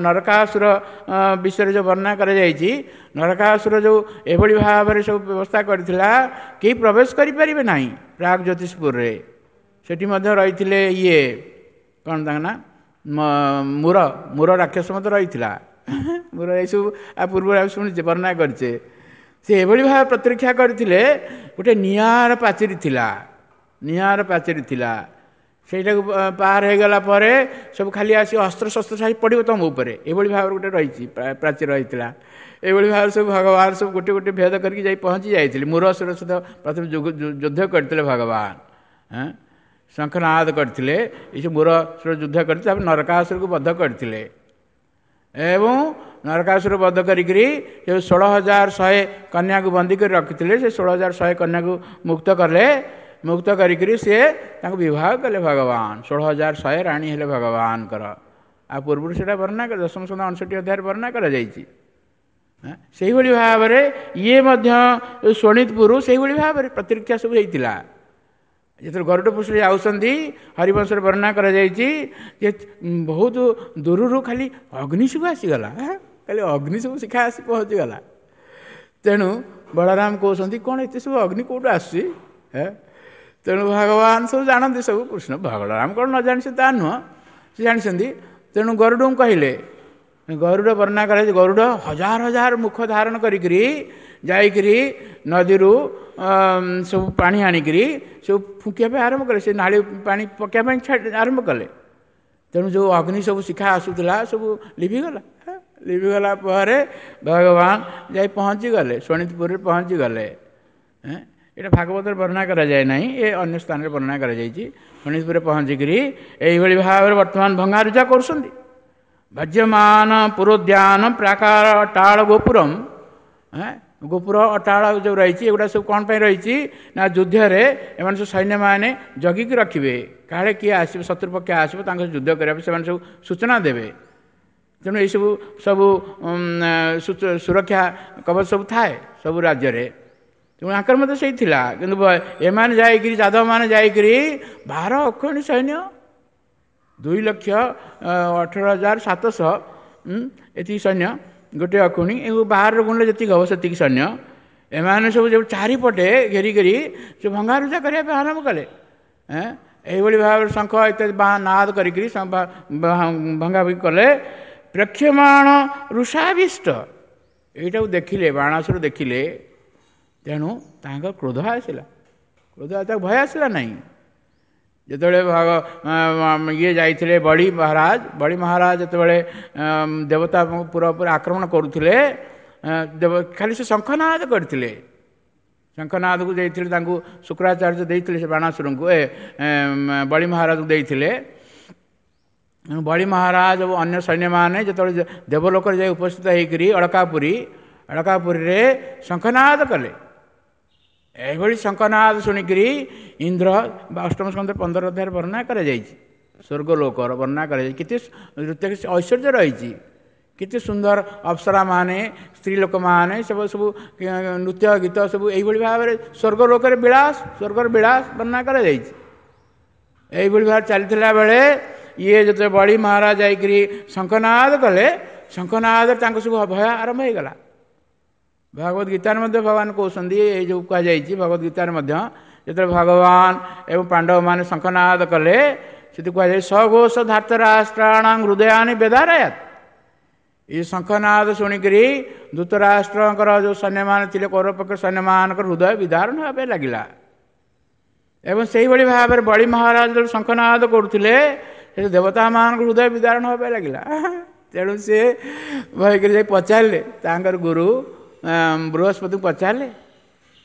ନରକାସୁର ବିଷୟରେ ଯେଉଁ ବର୍ଣ୍ଣନା କରାଯାଇଛି, ନରକାସୁର ଯେଉଁ ଏଭଳି ଭାବରେ ସବୁ ବ୍ୟବସ୍ଥା କରିଥିଲା, କେହି ପ୍ରବେଶ କରିପାରିବେ ନାହିଁ ପ୍ରାଗ ଜ୍ୟୋତିଷପୁରରେ। ସେଠି ମଧ୍ୟ ରହିଥିଲେ ଇଏ କ'ଣ ତାଙ୍କ ନା, ମୁର, ମୁର ରାକ୍ଷସ ମଧ୍ୟ ରହିଥିଲା। ମୁର ଏସବୁ ଆ ପୂର୍ବରୁ ଆମେ ଶୁଣିଛେ, ବର୍ଣ୍ଣନା କରିଛେ। ସେ ଏଭଳି ଭାବେ ପ୍ରତିରକ୍ଷା କରିଥିଲେ। ଗୋଟେ ନିଆଁର ପାଚେରୀ ଥିଲା, ନିଆଁର ପାଚେରୀ ଥିଲା, ସେଇଟାକୁ ପାର ହେଇଗଲା ପରେ ସବୁ ଖାଲି ଆସି ଅସ୍ତ୍ରଶସ୍ତ୍ର ସାହି ପଡ଼ିବ ତୁମ ଉପରେ, ଏଭଳି ଭାବରେ ଗୋଟେ ରହିଛି ପ୍ରାଚୀର ରହିଥିଲା। ଏଭଳି ଭାବରେ ସବୁ ଭଗବାନ ସବୁ ଗୋଟେ ଗୋଟେ ଭେଦ କରିକି ଯାଇ ପହଞ୍ଚି ଯାଇଥିଲେ। ମୁରସୁର ସହିତ ପ୍ରଥମେ ଯୁଦ୍ଧ କରିଥିଲେ ଭଗବାନ, ଶଙ୍ଖନାଦ କରିଥିଲେ, ଏସବୁ ମୁରସୁର ଯୁଦ୍ଧ କରିଥିଲେ। ତାପରେ ନରକାସୁରକୁ ବଧ କରିଥିଲେ ଏବଂ ନରକାସୁର ବଧ କରିକିରି ଯେଉଁ 16,100 କନ୍ୟାକୁ ବନ୍ଦୀ କରି ରଖିଥିଲେ, ସେ 16,100 କନ୍ୟାକୁ ମୁକ୍ତ କଲେ। ମୁକ୍ତ କରିକିରି ସିଏ ତାଙ୍କୁ ବିବାହ କଲେ ଭଗବାନ। 16,100 ରାଣୀ ହେଲେ ଭଗବାନଙ୍କର। ଆଉ ପୂର୍ବରୁ ସେଇଟା ବର୍ଣ୍ଣନା, ଦଶମ ସ୍କନ୍ଧ 59 ଅଧ୍ୟାୟରେ ବର୍ଣ୍ଣନା କରାଯାଇଛି। ସେଇଭଳି ଭାବରେ ଇଏ ମଧ୍ୟ ଶୋଣିତପୁର ସେଇଭଳି ଭାବରେ ପ୍ରତିରକ୍ଷା ସବୁ ହେଇଥିଲା। ଯେତେବେଳେ ଗରୁଡ଼ ପୃଷ୍ଠରେ ଯାଉଛନ୍ତି, ହରିବଂଶରେ ବର୍ଣ୍ଣନା କରାଯାଇଛି ଯେ ବହୁତ ଦୂରରୁ ଖାଲି ଅଗ୍ନି ସବୁ ଆସିଗଲା, ଖାଲି ଅଗ୍ନି ସବୁ ଶିଖା ଆସି ପହଞ୍ଚିଗଲା। ତେଣୁ ବଳରାମ କହୁଛନ୍ତି, କ'ଣ ଏତେ ସବୁ ଅଗ୍ନି କେଉଁଠୁ ଆସୁଛି? ତେଣୁ ଭଗବାନ ସବୁ ଜାଣନ୍ତି ସବୁ, କୃଷ୍ଣ ବଳରାମ କ'ଣ ନ ଜାଣିଛନ୍ତି ତା ନୁହଁ, ସେ ଜାଣିଛନ୍ତି। ତେଣୁ ଗରୁଡ଼ଙ୍କୁ କହିଲେ, ଗରୁଡ଼ ବର୍ଣ୍ଣନା କରାଯାଇଛି, ଗରୁଡ଼ ହଜାର ହଜାର ମୁଖ ଧାରଣ କରିକିରି ଯାଇକିରି ନଦୀରୁ ସବୁ ପାଣି ଆଣିକିରି ସବୁ ଫୁଙ୍କିବା ପାଇଁ ଆରମ୍ଭ କଲେ, ସେ ନାଳି ପାଣି ପକାଇବା ପାଇଁ ଆରମ୍ଭ କଲେ। ତେଣୁ ଯେଉଁ ଅଗ୍ନି ସବୁ ଶିଖା ଆସୁଥିଲା ସବୁ ଲିଭିଗଲା। ଲିଭିଗଲା ପରେ ଭଗବାନ ଯାଇ ପହଞ୍ଚିଗଲେ ଶୋଣିତପୁରରେ ପହଞ୍ଚିଗଲେ। ଏଇଟା ଭାଗବତରେ ବର୍ଣ୍ଣନା କରାଯାଏ ନାହିଁ, ଏ ଅନ୍ୟ ସ୍ଥାନରେ ବର୍ଣ୍ଣନା କରାଯାଇଛି। ଶୋଣିତପୁରରେ ପହଞ୍ଚିକିରି ଏଇଭଳି ଭାବରେ ବର୍ତ୍ତମାନ ଭଙ୍ଗାରୁଜା କରୁଛନ୍ତି। ଭଜ୍ୟମାନ ପୁରୋଦ୍ୟାନ ପ୍ରାକାର ଅଟାଳ ଗୋପୁରମ, ଗୋପୁର ଅଟାଳ ଯେଉଁ ରହିଛି ଏଗୁଡ଼ା ସବୁ କ'ଣ ପାଇଁ ରହିଛି ନା, ଯୁଦ୍ଧରେ ଏମାନେ ସବୁ ସୈନ୍ୟମାନେ ଜଗିକି ରଖିବେ, କାଳେ କିଏ ଆସିବ, ଶତ୍ରୁପକ୍ଷ ଆସିବ, ତାଙ୍କ ସହ ଯୁଦ୍ଧ କରିବା ପାଇଁ ସେମାନେ ସବୁ ସୂଚନା ଦେବେ। ତେଣୁ ଏଇସବୁ ସବୁ ସୁରକ୍ଷା କବଚ ସବୁ ଥାଏ ସବୁ ରାଜ୍ୟରେ। ତେଣୁ ଆଙ୍କର ମଧ୍ୟ ସେଇ ଥିଲା, କିନ୍ତୁ ଏମାନେ ଯାଇକିରି ଯାଦବମାନେ ଯାଇକିରି 12 ଅକ୍ଷୌହିଣୀ ସୈନ୍ୟ, 2,18,700 ଏତିକି ସୈନ୍ୟ, ଗୋଟିଏ ଅକ୍ଷୌହିଣୀ, ଏ ବାହାରର ଗୁଣରେ ଯେତିକି ହେବ ସେତିକି ସୈନ୍ୟ। ଏମାନେ ସବୁ ଯେଉଁ ଚାରିପଟେ ଘେରିକରି ସେ ଭଙ୍ଗାରୁଜା କରିବା ପାଇଁ ଆରମ୍ଭ କଲେ। ଏଇଭଳି ଭାବରେ ଶଙ୍ଖ ଇତ୍ୟାଦି ନାଦ କରିକିରି ଭଙ୍ଗାଭଙ୍ଗି କଲେ। ପ୍ରେକ୍ଷମାଣ ଋଷାବିଷ୍ଟ, ଏଇଟାକୁ ଦେଖିଲେ ବାଣାସୁର ଦେଖିଲେ, ତେଣୁ ତାଙ୍କ କ୍ରୋଧ ଆସିଲା। କ୍ରୋଧ ତାକୁ ଭୟ ଆସିଲା ନାହିଁ। ଯେତେବେଳେ ଇଏ ଯାଇଥିଲେ ବଳି ମହାରାଜ, ବଳି ମହାରାଜ ଯେତେବେଳେ ଦେବତା ପୁରା ଉପରେ ଆକ୍ରମଣ କରୁଥିଲେ, ଖାଲି ସେ ଶଙ୍ଖନାଦ କରିଥିଲେ। ଶଙ୍ଖନାଦକୁ ଦେଇଥିଲେ ତାଙ୍କୁ ଶୁକ୍ରାଚାର୍ଯ୍ୟ ଦେଇଥିଲେ ସେ ବାଣାସୁରଙ୍କୁ, ବଳି ମହାରାଜକୁ ଦେଇଥିଲେ। ବଳି ମହାରାଜ ଓ ଅନ୍ୟ ସୈନ୍ୟମାନେ ଯେତେବେଳେ ଦେବଲୋକରେ ଯାଇ ଉପସ୍ଥିତ ହେଇକରି ଅଳକାପୁରୀରେ ଶଙ୍ଖନାଦ କଲେ। ଏଭଳି ଶଙ୍ଖନାଦ ଶୁଣିକରି ଇନ୍ଦ୍ର, ଅଷ୍ଟମ ସ୍କନ୍ଧ 15 ଅଧ୍ୟାୟରେ ବର୍ଣ୍ଣନା କରାଯାଇଛି, ସ୍ୱର୍ଗଲୋକର ବର୍ଣ୍ଣନା କରାଯାଇଛି, କେତେ ଐଶ୍ୱର୍ଯ୍ୟ ରହିଛି, କେତେ ସୁନ୍ଦର ଅପ୍ସରାମାନେ, ସ୍ତ୍ରୀ ଲୋକମାନେ ସବୁ ସବୁ ନୃତ୍ୟ ଗୀତ ସବୁ ଏଇଭଳି ଭାବରେ ସ୍ୱର୍ଗଲୋକରେ ବିଳାସ, ସ୍ୱର୍ଗର ବିଳାସ ବର୍ଣ୍ଣନା କରାଯାଇଛି। ଏଇଭଳି ଭାବରେ ଚାଲିଥିଲା ବେଳେ ଇଏ ଯେତେବେଳେ ବଳି ମହାରାଜ ଯାଇକରି ଶଙ୍ଖନାଦ କଲେ, ଶଙ୍ଖନାଦରେ ତାଙ୍କ ସବୁ ଭୟ ଆରମ୍ଭ ହେଇଗଲା। ଭଗବତ ଗୀତାରେ ମଧ୍ୟ ଭଗବାନ କହୁଛନ୍ତି, ଏଇ ଯେଉଁ କୁହାଯାଇଛି ଭଗବତ ଗୀତାରେ ମଧ୍ୟ, ଯେତେବେଳେ ଭଗବାନ ଏବଂ ପାଣ୍ଡବମାନେ ଶଙ୍ଖନାଦ କଲେ, ସେଠି କୁହାଯାଏ ସଘୋଷ ଧାର୍ତ୍ତରାଷ୍ଟ୍ରାଣାଂ ହୃଦୟାନି ବେଦାରୟାତ। ଏ ଶଙ୍ଖନାଦ ଶୁଣିକରି ଧୃତରାଷ୍ଟ୍ରଙ୍କର ଯେଉଁ ସୈନ୍ୟମାନେ ଥିଲେ, କୌରବପକ୍ଷ ସୈନ୍ୟମାନଙ୍କର ହୃଦୟ ବିଦାରଣ ହେବା ପାଇଁ ଲାଗିଲା। ଏବଂ ସେଇଭଳି ଭାବରେ ବଳି ମହାରାଜ ଯେତେବେଳେ ଶଙ୍ଖନାଦ କରୁଥିଲେ, ସେ ଦେବତାମାନଙ୍କ ହୃଦୟ ବିଦାରଣ ହେବା ପାଇଁ ଲାଗିଲା। ତେଣୁ ସେ ଭୟକରି ଯାଇ ପଚାରିଲେ ତାଙ୍କର ଗୁରୁ ବୃହସ୍ପତିଙ୍କୁ ପଚାରିଲେ,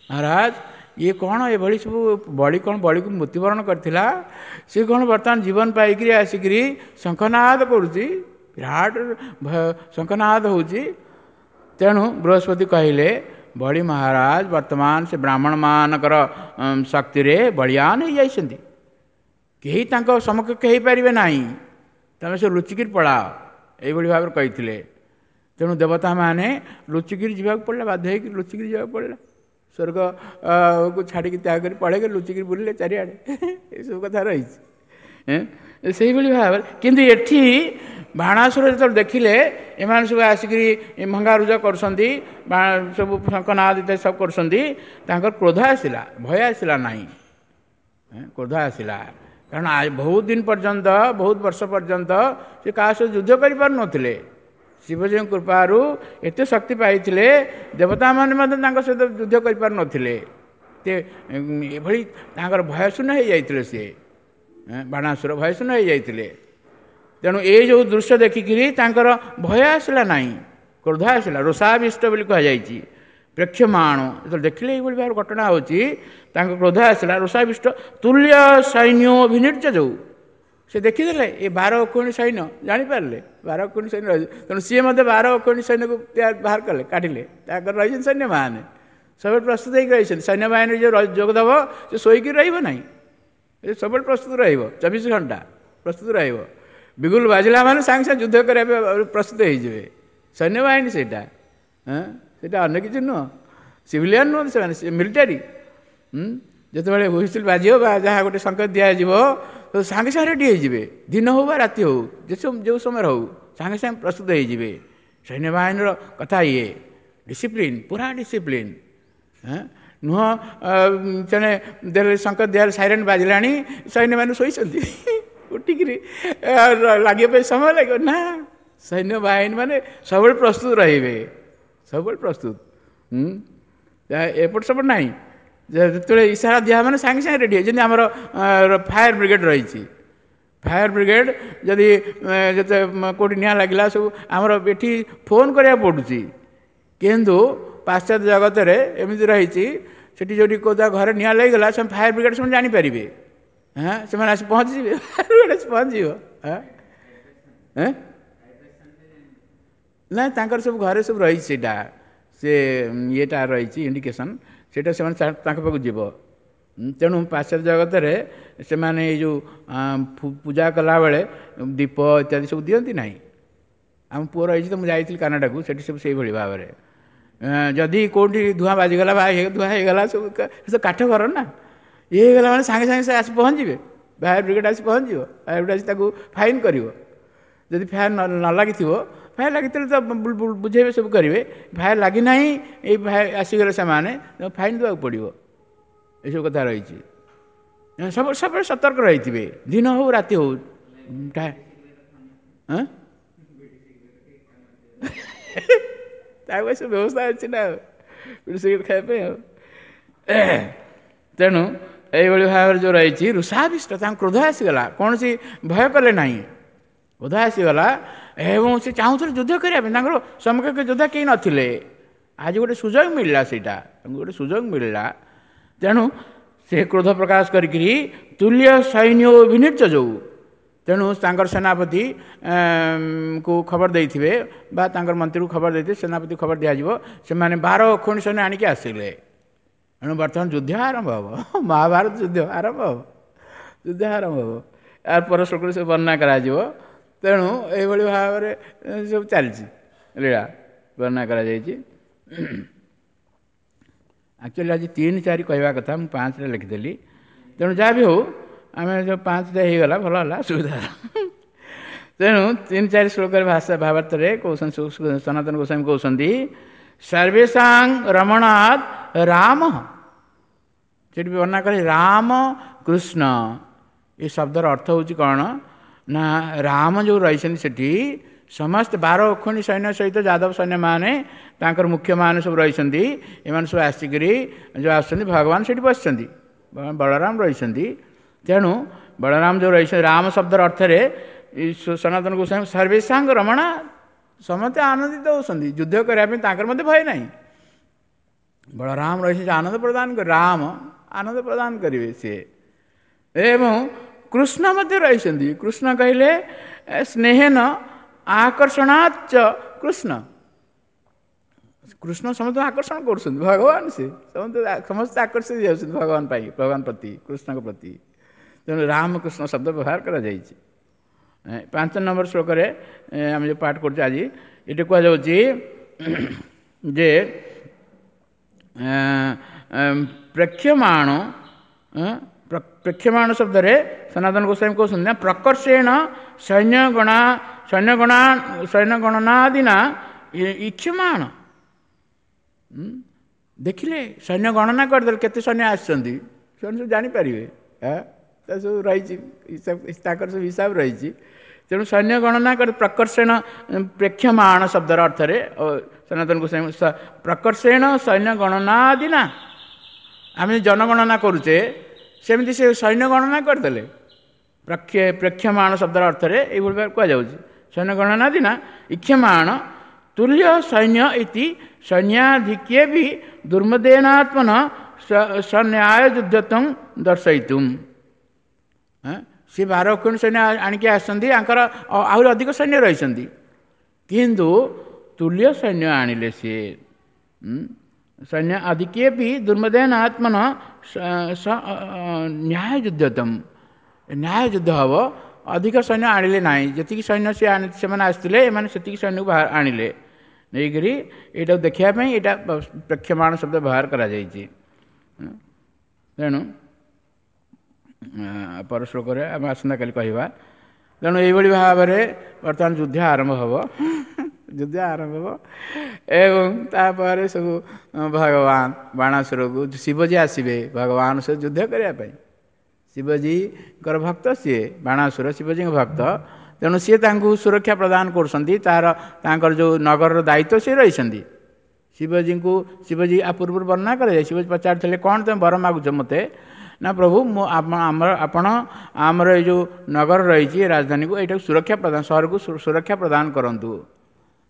ମହାରାଜ ଇଏ କ'ଣ ଏଭଳି ସବୁ, ବଳି କ'ଣ ବଳିକୁ ମୃତ୍ୟୁବରଣ କରିଥିଲା, ସେ କ'ଣ ବର୍ତ୍ତମାନ ଜୀବନ ପାଇକରି ଆସିକରି ଶଙ୍ଖନାଦ କରୁଛି, ବିରାଟ ଶଙ୍ଖନାଦ ହେଉଛି। ତେଣୁ ବୃହସ୍ପତି କହିଲେ, ବଳି ମହାରାଜ ବର୍ତ୍ତମାନ ସେ ବ୍ରାହ୍ମଣମାନଙ୍କର ଶକ୍ତିରେ ବଳିଆନ ହେଇଯାଇଛନ୍ତି, କେହି ତାଙ୍କ ସମକକ୍ଷ ହେଇପାରିବେ ନାହିଁ, ତମେ ସେ ଲୁଚିକିରି ପଳାଅ, ଏଇଭଳି ଭାବରେ କହିଥିଲେ। ତେଣୁ ଦେବତାମାନେ ଲୁଚିକିରି ଯିବାକୁ ପଡ଼ିଲା, ବାଧ୍ୟ ହେଇକି ଲୁଚିକିରି ଯିବାକୁ ପଡ଼ିଲା, ସ୍ୱର୍ଗକୁ ଛାଡ଼ିକି ତ୍ୟାଗ କରି ପଳେଇକି ଲୁଚିକିରି ବୁଲିଲେ ଚାରିଆଡ଼େ। ଏସବୁ କଥା ରହିଛି ସେଇଭଳି ଭାବରେ। କିନ୍ତୁ ଏଠି ବାଣାସୁର ଯେତେବେଳେ ଦେଖିଲେ ଏମାନେ ସବୁ ଆସିକିରି ଭଙ୍ଗାରୁଜା କରୁଛନ୍ତି, ସବୁ ଶଙ୍ଖନାଦ ଇତ୍ୟାଦି ସବୁ କରୁଛନ୍ତି, ତାଙ୍କର କ୍ରୋଧ ଆସିଲା, ଭୟ ଆସିଲା ନାହିଁ, କ୍ରୋଧ ଆସିଲା। କାରଣ ବହୁତ ଦିନ ପର୍ଯ୍ୟନ୍ତ, ବହୁତ ବର୍ଷ ପର୍ଯ୍ୟନ୍ତ ସେ କାହା ସହିତ ଯୁଦ୍ଧ କରିପାରୁନଥିଲେ। ଶିବଜୀଙ୍କ କୃପାରୁ ଏତେ ଶକ୍ତି ପାଇଥିଲେ, ଦେବତାମାନେ ମଧ୍ୟ ତାଙ୍କ ସହିତ ଯୁଦ୍ଧ କରିପାରୁନଥିଲେ। ଏଭଳି ତାଙ୍କର ଭୟଶୂନ୍ୟ ହେଇଯାଇଥିଲେ ସିଏ, ବାଣାସୁର ଭୟଶୂନ୍ୟ ହେଇଯାଇଥିଲେ। ତେଣୁ ଏଇ ଯେଉଁ ଦୃଶ୍ୟ ଦେଖିକିରି ତାଙ୍କର ଭୟ ଆସିଲା ନାହିଁ, କ୍ରୋଧ ଆସିଲା। ରୋଷାବିଷ୍ଟ ବୋଲି କୁହାଯାଇଛି। ପ୍ରେକ୍ଷମାଣ ଯେତେବେଳେ ଦେଖିଲେ ଏଇଭଳି ଭାବରେ ଘଟଣା ହେଉଛି, ତାଙ୍କ କ୍ରୋଧ ଆସିଲା। ରୋଷାବିଷ୍ଟ ତୁଲ୍ୟ ସୈନ୍ୟ ଅଭିନିର୍ଜ, ଯେଉଁ ସେ ଦେଖିଦେଲେ ଏ 12 ଅକ୍ଷୌହିଣୀ ସୈନ୍ୟ, ଜାଣିପାରିଲେ 12 ଅକ୍ଷୌହିଣୀ ସୈନ୍ୟ ରହିଛି। ତେଣୁ ସିଏ ମଧ୍ୟ 12 ଅକ୍ଷୌହିଣୀ ସୈନ୍ୟକୁ ବାହାର କଲେ, କାଢ଼ିଲେ। ତାଙ୍କର ରହିଛନ୍ତି ସୈନ୍ୟମାନେ ସବୁବେଳେ ପ୍ରସ୍ତୁତ ହେଇକି ରହିଛନ୍ତି। ସୈନ୍ୟବାହିନୀ ଯେଉଁ ଯୋଗ ଦେବ ସେ ଶୋଇକି ରହିବ ନାହିଁ, ସେ ସବୁବେଳେ ପ୍ରସ୍ତୁତ ରହିବ, 24 ଘଣ୍ଟା ପ୍ରସ୍ତୁତ ରହିବ। ବିଗୁଲ ବାଜିଲା ମାନେ ସାଙ୍ଗେ ସାଙ୍ଗେ ଯୁଦ୍ଧ କରିବା ପାଇଁ ପ୍ରସ୍ତୁତ ହେଇଯିବେ ସୈନ୍ୟବାହିନୀ। ସେଇଟା ସେଇଟା ଅନ୍ୟ କିଛି ନୁହଁ, ସିଭିଲିଆନ୍ ନୁହନ୍ତି ସେମାନେ, ମିଲିଟାରୀ। ଯେତେବେଳେ ହୁଇସିଲ୍ ବାଜିବ ବା ଯାହା ଗୋଟେ ସଂକେତ ଦିଆଯିବ, ତ ସାଙ୍ଗେ ସାଙ୍ଗେ ରେଡ଼ି ହେଇଯିବେ, ଦିନ ହଉ ବା ରାତି ହଉ, ଯେଉଁ ସମୟରେ ହଉ, ସାଙ୍ଗେ ସାଙ୍ଗେ ପ୍ରସ୍ତୁତ ହେଇଯିବେ। ସୈନ୍ୟବାହିନୀର କଥା ଇଏ, ଡିସିପ୍ଲିନ୍, ପୁରା ଡିସିପ୍ଲିନ୍। ନୁହଁ ତେଣେ ଦେଲେ ସଂକେତ ଦିଆହେଲେ, ସାଇରେନ୍ ବାଜିଲାଣି, ସୈନ୍ୟମାନେ ଶୋଇଛନ୍ତି, ଉଠିକିରି ଲାଗିବା ପାଇଁ ସମୟ ଲାଗିବ ନା। ସୈନ୍ୟବାହିନୀ ମାନେ ସବୁବେଳେ ପ୍ରସ୍ତୁତ ରହିବେ, ସବୁବେଳେ ପ୍ରସ୍ତୁତ, ଏପଟ ସେପଟ ନାହିଁ। ଯେତେବେଳେ ଇସାରା ଦିଆ ମାନେ ସାଙ୍ଗେ ସାଙ୍ଗେ ରେଡ଼ି। ଯେମିତି ଆମର ଫାୟାର ବ୍ରିଗେଡ଼ ରହିଛି, ଫାୟାର ବ୍ରିଗେଡ଼ ଯଦି ଯେତେ କେଉଁଠି ନିଆଁ ଲାଗିଲା ସବୁ ଆମର ଏଠି ଫୋନ୍ କରିବାକୁ ପଡ଼ୁଛି। କିନ୍ତୁ ପାଶ୍ଚାତ୍ୟ ଜଗତରେ ଏମିତି ରହିଛି, ସେଠି ଯେଉଁଠି କେଉଁ ଘରେ ନିଆଁ ଲାଗିଗଲା, ସେମାନେ ଫାୟାର ବ୍ରିଗେଡ଼ ସେମାନେ ଜାଣିପାରିବେ, ହଁ ସେମାନେ ଆସି ପହଞ୍ଚିଯିବେ, ଫାୟାର ବ୍ରିଗେଡ଼ ଆସି ପହଞ୍ଚିଯିବ। ହଁ ନା, ତାଙ୍କର ସବୁ ଘରେ ସବୁ ରହିଛି ସେଇଟା, ସେ ଇଏଟା ରହିଛି ଇଣ୍ଡିକେସନ୍, ସେଇଟା ସେମାନେ ତାଙ୍କ ପାଖକୁ ଯିବ। ତେଣୁ ପାଶ୍ଚାତ୍ୟ ଜଗତରେ ସେମାନେ ଏଇ ଯେଉଁ ପୂଜା କଲାବେଳେ ଦୀପ ଇତ୍ୟାଦି ସବୁ ଦିଅନ୍ତି ନାହିଁ। ଆମ ପୁଅ ରହିଛି ତ, ମୁଁ ଯାଇଥିଲି କାନାଡ଼ାକୁ, ସେଠି ସବୁ ସେଇଭଳି ଭାବରେ ଯଦି କେଉଁଠି ଧୂଆଁ ବାଜିଗଲା ବା ଧୂଆଁ ହେଇଗଲା, ସବୁ ସେ କାଠ ଘର ନା, ଇଏ ହେଇଗଲା ମାନେ ସାଙ୍ଗେ ସାଙ୍ଗେ ସେ ଆସି ପହଞ୍ଚିବେ, ଫାୟାର ବ୍ରିଗେଡ଼ ଆସି ପହଞ୍ଚିବ, ଫାୟାର ବ୍ରିଗେଡ଼ ଆସି ତାକୁ ଫାଇନ୍ କରିବ। ଯଦି ଫାୟାର ନ ଲାଗିଥିବ, ଫାୟାର ଲାଗିଥିଲେ ତ ବୁଝେଇବେ, ସବୁ କରିବେ। ଫାୟାର ଲାଗିନାହିଁ, ଏଇ ଆସିଗଲେ ସେମାନେ, ଫାଇନ୍ ଦେବାକୁ ପଡ଼ିବ। ଏସବୁ କଥା ରହିଛି। ସବୁ ସବୁବେଳେ ସତର୍କ ରହିଥିବେ, ଦିନ ହଉ ରାତି ହଉ। ତା ପାଇଁ ସବୁ ବ୍ୟବସ୍ଥା ଅଛି ନା, ଆଉ ବିଡ଼ି ସିଗାରେଟ୍ ଖାଇବା ପାଇଁ। ଆଉ ତେଣୁ ଏଇଭଳି ଭାବରେ ଯେଉଁ ରହିଛି, ଋଷାବିଷ୍ଟ, ତାଙ୍କୁ କ୍ରୋଧ ଆସିଗଲା, କୌଣସି ଭୟ କଲେ ନାହିଁ, କ୍ରୋଧ ଆସିଗଲା ଏବଂ ସେ ଚାହୁଁଥିଲେ ଯୁଦ୍ଧ କରିବା ପାଇଁ। ତାଙ୍କର ସମକକ୍ଷ ଯୋଦ୍ଧା କେହି ନଥିଲେ, ଆଜି ଗୋଟେ ସୁଯୋଗ ମିଳିଲା, ସେଇଟା ତାଙ୍କୁ ଗୋଟେ ସୁଯୋଗ ମିଳିଲା। ତେଣୁ ସେ କ୍ରୋଧ ପ୍ରକାଶ କରିକିରି ତୁଲ୍ୟ ସୈନ୍ୟ ବିନିର୍ଜ ଯୋଉ, ତେଣୁ ତାଙ୍କର ସେନାପତି କୁ ଖବର ଦେଇଥିବେ ବା ତାଙ୍କର ମନ୍ତ୍ରୀକୁ ଖବର ଦେଇଥିବେ, ସେନାପତି ଖବର ଦିଆଯିବ, ସେମାନେ 12 ଅକ୍ଷୌହିଣୀ ସୈନ୍ୟ ଆଣିକି ଆସିଲେ। ତେଣୁ ବର୍ତ୍ତମାନ ଯୁଦ୍ଧ ଆରମ୍ଭ ହେବ, ମହାଭାରତ ଯୁଦ୍ଧ ଆରମ୍ଭ ହେବ, ଯୁଦ୍ଧ ଆରମ୍ଭ ହେବ। ଏହାର ପର ଶ୍ଲୋକରେ ସବୁ ବର୍ଣ୍ଣନା କରାଯିବ। ତେଣୁ ଏଇଭଳି ଭାବରେ ସବୁ ଚାଲିଛି, ଲୀଳା ବର୍ଣ୍ଣନା କରାଯାଇଛି। ଆକ୍ଚୁଆଲି ଆଜି 3 4 କହିବା କଥା, ମୁଁ 5ରେ ଲେଖିଦେଲି। ତେଣୁ ଯାହା ବି ହେଉ, ଆମେ ଯେଉଁ 5ଟା ହେଇଗଲା ଭଲ ହେଲା, ସୁବିଧା ହେଲା। ତେଣୁ 3 4 ଶ୍ଲୋକରେ ଭାଷା ଭାବାର୍ଥରେ କହୁଛନ୍ତି, ସନାତନ ଗୋସ୍ୱାମୀ କହୁଛନ୍ତି, ସର୍ବେଷାଂ ରମଣାତ୍ ରାମ, ସେଠି ବି ବର୍ଣ୍ଣନା କରେ ରାମ କୃଷ୍ଣ। ଏ ଶବ୍ଦର ଅର୍ଥ ହେଉଛି କ'ଣ ନା, ରାମ ଯେଉଁ ରହିଛନ୍ତି ସେଠି ସମସ୍ତେ 12 ଅକ୍ଷୌହିଣୀ ସୈନ୍ୟ ସହିତ ଯାଦବ ସୈନ୍ୟମାନେ ତାଙ୍କର ମୁଖ୍ୟମାନେ ସବୁ ରହିଛନ୍ତି। ଏମାନେ ସବୁ ଆସିକରି ଯେଉଁ ଆସୁଛନ୍ତି, ଭଗବାନ ସେଠି ବସିଛନ୍ତି, ବଳରାମ ରହିଛନ୍ତି। ତେଣୁ ବଳରାମ ଯେଉଁ ରହିଛନ୍ତି, ରାମ ଶବ୍ଦର ଅର୍ଥରେ ସନାତନ ଗୋସ୍ୱାମୀ ସର୍ବେଷାଙ୍ଗ ରମଣା, ସମସ୍ତେ ଆନନ୍ଦିତ ହେଉଛନ୍ତି, ଯୁଦ୍ଧ କରିବା ପାଇଁ ତାଙ୍କର ମଧ୍ୟ ଭୟ ନାହିଁ। ବଳରାମ ରହିଛନ୍ତି, ଆନନ୍ଦ ପ୍ରଦାନ କରି, ରାମ ଆନନ୍ଦ ପ୍ରଦାନ କରିବେ ସିଏ। ଏବଂ କୃଷ୍ଣ ମଧ୍ୟ ରହିଛନ୍ତି। କୃଷ୍ଣ କହିଲେ ସ୍ନେହେନ ଆକର୍ଷଣାଚ କୃଷ୍ଣ, କୃଷ୍ଣ ସମସ୍ତଙ୍କୁ ଆକର୍ଷଣ କରୁଛନ୍ତି, ଭଗବାନ ସେ ସମସ୍ତେ ଆକର୍ଷିତ ଯାଉଛନ୍ତି ଭଗବାନ ପାଇଁ, ଭଗବାନ ପ୍ରତି, କୃଷ୍ଣଙ୍କ ପ୍ରତି। ତେଣୁ ରାମକୃଷ୍ଣ ଶବ୍ଦ ବ୍ୟବହାର କରାଯାଇଛି। 5 ନମ୍ବର ଶ୍ଲୋକରେ ଆମେ ଯେଉଁ ପାଠ କରୁଛେ ଆଜି, ଏଠି କୁହାଯାଉଛି ଯେ ପ୍ରେକ୍ଷମାଣ, ପ୍ରେକ୍ଷମାଣ ଶବ୍ଦରେ ସନାତନ ଗୋସ୍ୱାମୀ କହୁଛନ୍ତି ନା, ପ୍ରକର୍ଷେଣ ସୈନ୍ୟଗଣା ସୈନ୍ୟଗଣା ସୈନ୍ୟଗଣନାଦିନା ଇକ୍ଷମାଣ। ଦେଖିଲେ ସୈନ୍ୟ ଗଣନା କରିଦେଲେ କେତେ ସୈନ୍ୟ ଆସିଛନ୍ତି, ସେମାନେ ସବୁ ଜାଣିପାରିବେ, ତା ସବୁ ରହିଛି ତାଙ୍କର ସବୁ ହିସାବ ରହିଛି। ତେଣୁ ସୈନ୍ୟ ଗଣନା କରି ପ୍ରକର୍ଷେଣ ପ୍ରେକ୍ଷମାଣ ଶବ୍ଦର ଅର୍ଥରେ ସନାତନ ଗୋସ୍ୱାମୀ ପ୍ରକର୍ଷେଣ ସୈନ୍ୟ ଗଣନାଦିନା, ଆମେ ଜନଗଣନା କରୁଛେ ସେମିତି ସେ ସୈନ୍ୟ ଗଣନା କରିଦେଲେ। ପ୍ରେକ୍ଷମାଣ ଶବ୍ଦର ଅର୍ଥରେ ଏଇଭଳି ଭାବେ କୁହାଯାଉଛି, ସୈନ୍ୟ ଗଣନାଦିନା ଇକ୍ଷମାଣ ତୁଲ୍ୟ ସୈନ୍ୟ ଇତି ସୈନ୍ୟାଧିକ୍ୟେ ବି ଦୁର୍ମଦେନାତ୍ମନ ସନ୍ୟାୟ ଯୁଦ୍ଧତ୍ୱଂ ଦର୍ଶୟିତୁମ୍। ସେ 12 ଅକ୍ଷୌହିଣୀ ସୈନ୍ୟ ଆଣିକି ଆସିଛନ୍ତି, ଆଙ୍କର ଆହୁରି ଅଧିକ ସୈନ୍ୟ ରହିଛନ୍ତି, କିନ୍ତୁ ତୁଲ୍ୟ ସୈନ୍ୟ ଆଣିଲେ ସିଏ। ସୈନ୍ୟ ଅଧିକେ ବି ଦୁର୍ମଦେନ ଆତ୍ମନ ନ୍ୟାୟ ଯୁଦ୍ଧତମ, ନ୍ୟାୟ ଯୁଦ୍ଧ ହେବ, ଅଧିକ ସୈନ୍ୟ ଆଣିଲେ ନାହିଁ, ଯେତିକି ସୈନ୍ୟ ସେ ସେମାନେ ଆସିଥିଲେ ଏମାନେ ସେତିକି ସୈନ୍ୟକୁ ଆଣିଲେ ନେଇକରି, ଏଇଟାକୁ ଦେଖିବା ପାଇଁ ଏଇଟା ପ୍ରେକ୍ଷମାଣ ଶବ୍ଦ ବ୍ୟବହାର କରାଯାଇଛି। ତେଣୁ ପର ଶ୍ଲୋକରେ ଆମେ ଆସନ୍ତାକାଲି କହିବା। ତେଣୁ ଏଇଭଳି ଭାବରେ ବର୍ତ୍ତମାନ ଯୁଦ୍ଧ ଆରମ୍ଭ ହେବ, ଯୁଦ୍ଧ ଆରମ୍ଭ ହେବ ଏବଂ ତାପରେ ସବୁ ଭଗବାନ ବାଣାସୁରକୁ ଶିବଜୀ ଆସିବେ ଭଗବାନ ସହିତ ଯୁଦ୍ଧ କରିବା ପାଇଁ। ଶିବଜୀଙ୍କର ଭକ୍ତ ସିଏ, ବାଣାସୁର ଶିବଜୀଙ୍କ ଭକ୍ତ, ତେଣୁ ସିଏ ତାଙ୍କୁ ସୁରକ୍ଷା ପ୍ରଦାନ କରୁଛନ୍ତି। ତାର ତାଙ୍କର ଯେଉଁ ନଗରର ଦାୟିତ୍ୱ ସିଏ ରହିଛନ୍ତି। ଶିବଜୀଙ୍କୁ ଶିବଜୀ ଆ ପୂର୍ବରୁ ବର୍ଣ୍ଣନା କରାଯାଏ, ଶିବଜୀ ପଚାରିଥିଲେ କ'ଣ ତୁମେ ବର ମାଗୁଛ ମୋତେ? ନା ପ୍ରଭୁ, ମୁଁ ଆମର ଆପଣ ଆମର ଏଇ ଯେଉଁ ନଗର ରହିଛି ରାଜଧାନୀକୁ, ଏଇଟାକୁ ସୁରକ୍ଷା ପ୍ରଦାନ, ସହରକୁ ସୁରକ୍ଷା ପ୍ରଦାନ କରନ୍ତୁ।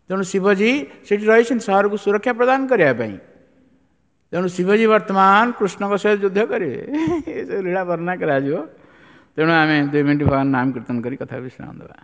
ତେଣୁ ଶିବଜୀ ସେଠି ରହିଛନ୍ତି ସହରକୁ ସୁରକ୍ଷା ପ୍ରଦାନ କରିବା ପାଇଁ। ତେଣୁ ଶିବଜୀ ବର୍ତ୍ତମାନ କୃଷ୍ଣଙ୍କ ସହିତ ଯୁଦ୍ଧ କରିବେ, ଏସବୁ ଲୀଳା ବର୍ଣ୍ଣନା କରାଯିବ। ତେଣୁ ଆମେ 2 ମିନିଟ୍ ଭଗବାନ ନାମ କୀର୍ତ୍ତନ କରି କଥା ବିଶ୍ରାମ ଦେବା।